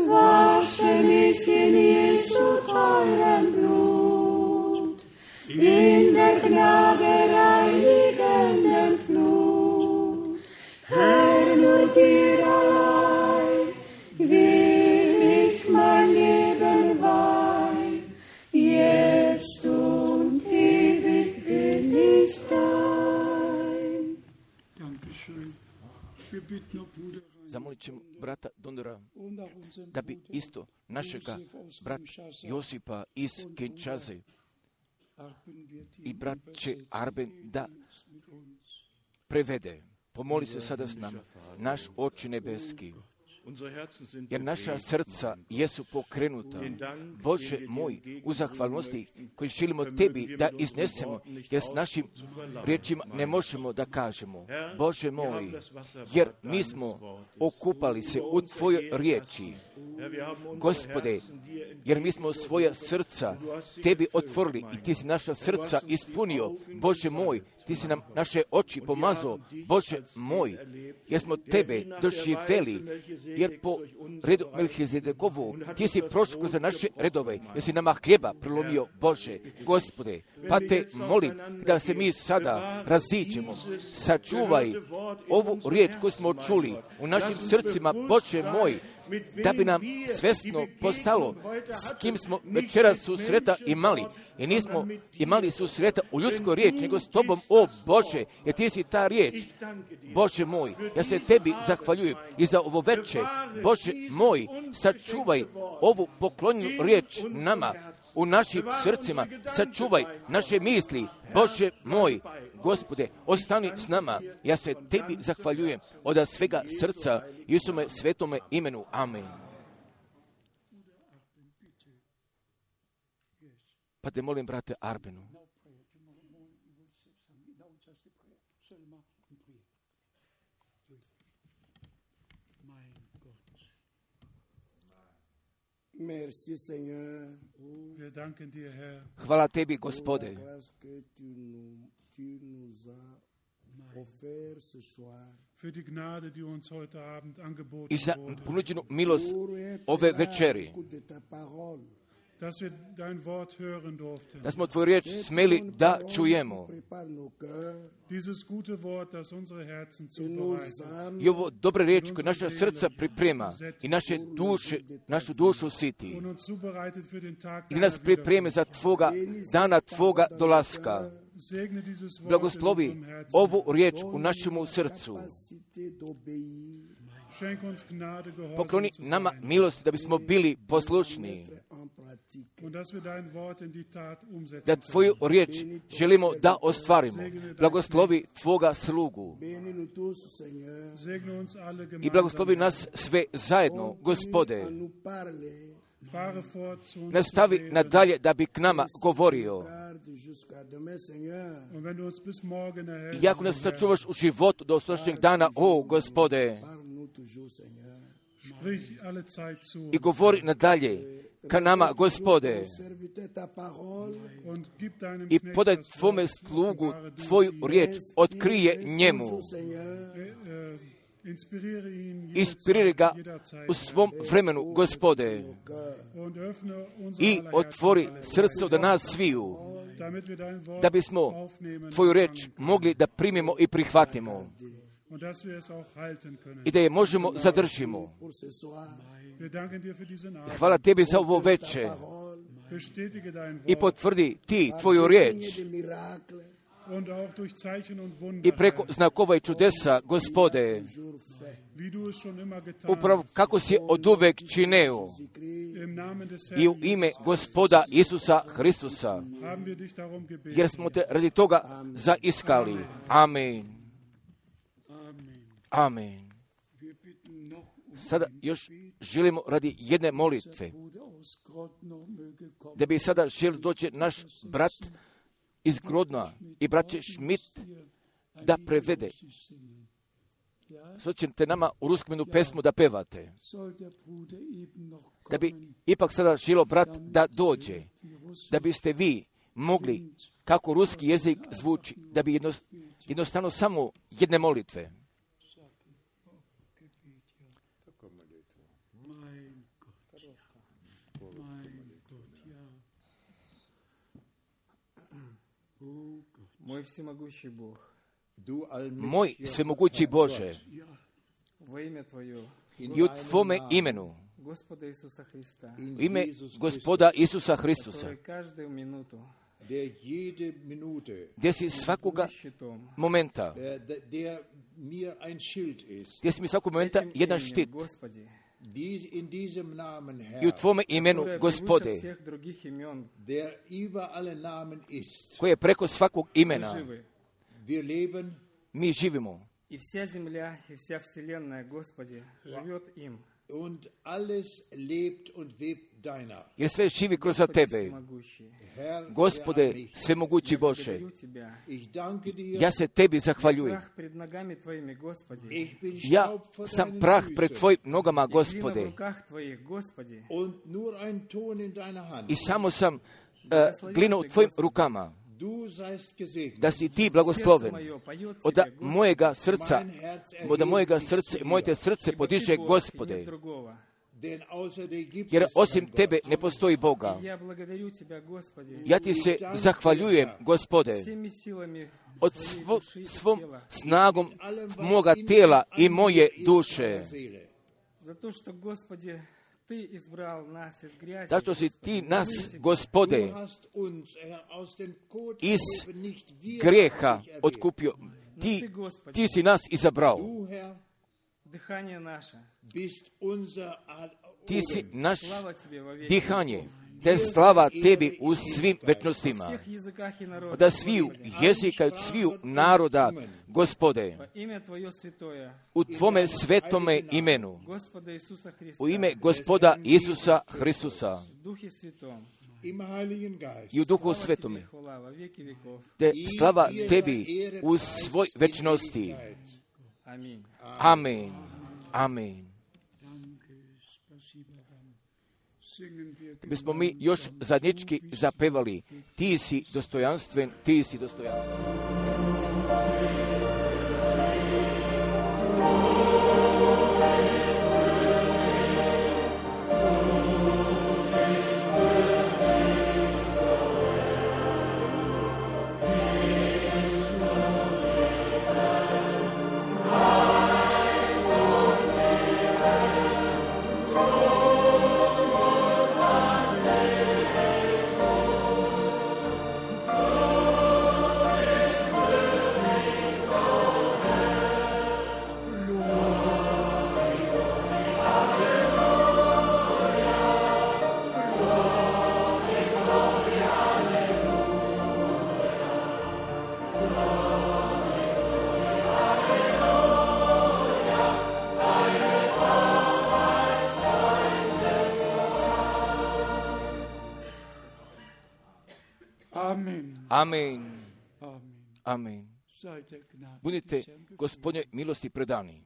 Wasche mich in Jesu teurem Blut, in der Gnade reinigenden Flut. Herr, nur dir allein will ich mein Leben weihen, jetzt und ewig bin ich dein. Dankeschön. Wir bitten o Bruder Zamolit ćemo brata Donora da bi isto našega brata Josipa iz Kinshase i brat će Arben da prevede. Pomoli se sada s nama, naš Oče nebeski, jer naša srca jesu pokrenuta. Bože moj, u zahvalnosti koji želimo Tebi da iznesemo, jer s našim riječima ne možemo da kažemo. Bože moj, jer mi smo okupali se u Tvojoj riječi Gospode, jer mi smo svoja srca Tebi otvorili i Ti si naša srca ispunio. Bože moj, Ti si nam naše oči pomazao. Bože moj, jer smo Tebe doživjeli, jer po redu Melhizedekovu Ti si prošao kroz naše redove, jer si nama hljeba prelomio. Bože, Gospode, pa Te molim da se mi sada raziđemo. Sačuvaj ovu riječ koju smo čuli u našim srcima, Bože moj, da bi nam svesno postalo s kim smo večeras susreta imali. I nismo imali susreta u ljudskoj riječi, nego s Tobom, o Bože, jer Ti si ta riječ. Bože moj, ja se Tebi zahvaljujem i za ovo veče. Bože moj, sačuvaj ovu poklonjenu riječ nama, u našim srcima, sačuvaj naše misli. Bože moj, Gospode, ostani s nama. Ja se Tebi zahvaljujem od svega srca i u svome svetome imenu. Amen. Pa te molim, brate Arbenu. Merci, Seigneur. Wir danken dir, Herr. Hvala Tebi, Gospode, für die Gnade, die uns heute Abend i angeboten za wurde, ponuđenu milost ove večeri, dass wir dein Wort hören durften. da smo Tvoju riječ smeli da čujemo. Dieses gute Wort, das unsere Herzen zubereitet I ovo dobre riječ koje naša srca priprema i naše duše, našu dušu siti. und uns zubereitet für den Tag I nas pripreme za Tvoga dana, Tvoga dolaska. Segne dieses Wort in Blagoslovi unserem Herzen. ovu riječ u našemu srcu. Schenk uns Gnade, Gehorsam Pokloni zu nama sein. milost da bismo bili poslušni. Und dass wir dein Wort in die Tat umsetzen Da Tvoju riječ želimo da ostvarimo. Blagoslovi Tvoga slugu. können. Segne uns alle I gemeinsam. blagoslovi nas sve zajedno, Gospode. Fahre fort zu uns Nastavi zu reden. nadalje da bi k nama govorio. Und wenn du uns bis morgen erhältst, I ako nas sačuvaš u životu do sutrašnjeg dana, o Gospode, sprich alle Zeit zu i govori nadalje ka nama, Gospode, und gib deinem i Knecht podaj das Wort Tvome zu slugu offenbare durch Tvoju ihn. riječ, otkrije njemu. Äh, äh, Inspiriere ihn Inspiriri ga jederzeit u svom vremenu, Gospode, und öffne unser i aller otvori Herzen, srce od nas sviju, damit wir dein Wort da bismo aufnehmen Tvoju riječ mogli da primimo i prihvatimo und dass wir es auch halten können. i da je možemo zadržimo. Wir danken dir für diesen Abend. Hvala Tebi za ovo veče Bestätige dein i Wort potvrdi Ti Tvoju riječ und auch durch Zeichen und i Wunder, preko Herr, znakova i čudesa, Gospode, wie du es schon immer getan upravo hast. kako si od uvek čineo Im Namen des i u Herrn ime Gospoda Isusa Hristusa, haben wir dich darum gebeten. jer smo Te radi toga zaiskali. Amen. Amen. Amen. Wir bitten noch um Sada još želimo radi jedne molitve, Bruder aus Grodno möge kommen. da bi sada želio doći naš brat iz Grodna i braće Schmidt da prevede. Sada ćete nama u ruskom jednu pesmu da pevate. Soll der Bruder eben noch Da bi kommen, ipak sada želio brat da dođe, da biste vi mogli, kako ruski jezik zvuči, da bi jednost, jednostavno samo jedne molitve. mein Gott, ja. Mein Gott, ja. Oh Gott, Мой всемогущий Бог, Moj svemogući Bože, во имя Твое, i u Tvome imenu, Господа Иисуса Христа, u ime Gospoda Isusa Hristusa, который каждую минуту der jede Minute, gdje si svakoga щитом, momenta, der, der, der mir ein Schild ist, gdje si mi svakog momenta этим jedan именем, štit. Господи, dies, in diesem Namen, I u Herr, Tvome imenu, которое превыше Gospode, всех других имен, der über alle Namen ist. koje je preko svakog мы imena, живы. Wir leben mi živimo. И вся земля, и вся вселенная, Господи, живет им. Und alles lebt und webt deiner. Jer sve živi kroz tebe. Herr, Gospode, der svemogući Bože, ich danke dir. ja se tebi zahvaljujem. Ich bin Ja Staub vor sam deinen prah Füßen. pred tvojim nogama, Gospode, Und nur ein Ton in deiner Hand. i samo sam uh, glina u tvojim rukama. Du seist gesegnet. Da si ti blagosloven. Od mojega srca, od mojega srca, moje te srce podiže, Gospode, Denn außer dir gibt jer es osim keinen tebe Gott. ne postoji Boga. Ja ti se zahvaljujem, Gospode, od svo, svom snagom moga tijela i moje duše. Zato što, Gospodje, Ti izbral nas iz grijasi. Zašto si ti nas, Gospode, Du hast uns, Herr, aus dem Kot iz gegeben, nicht wir grijeha haben dich erwählt. otkupio? Ti, ti si nas izabrao. Du, Herr, Dihanje naše. bist unser Ad- Ti si Odem. naš Slava Тебе во веки. dihanje. Te slava tebi u svim večnostima. Всех языках и народах. Da sviju jezika, od sviju naroda, Gospode, Во имя Твое святое. u Tvome svetome imenu, Господа Иисуса Христа. u ime Gospoda Isusa Hristusa В Духе Святом. Im Heiligen Geist. i u Duhu Слава Svetome, Тебе, хвала во веки веков. te slava tebi u svoj večnosti. Аминь. Amen. Amen. Da bismo mi još zadnjički zapevali, ti si dostojanstven, ti si dostojanstven. Amen. Amen. Amen. Amen. Seid der Gnade Budite des Herrn gegrüßt. Gospodnje milosti predani.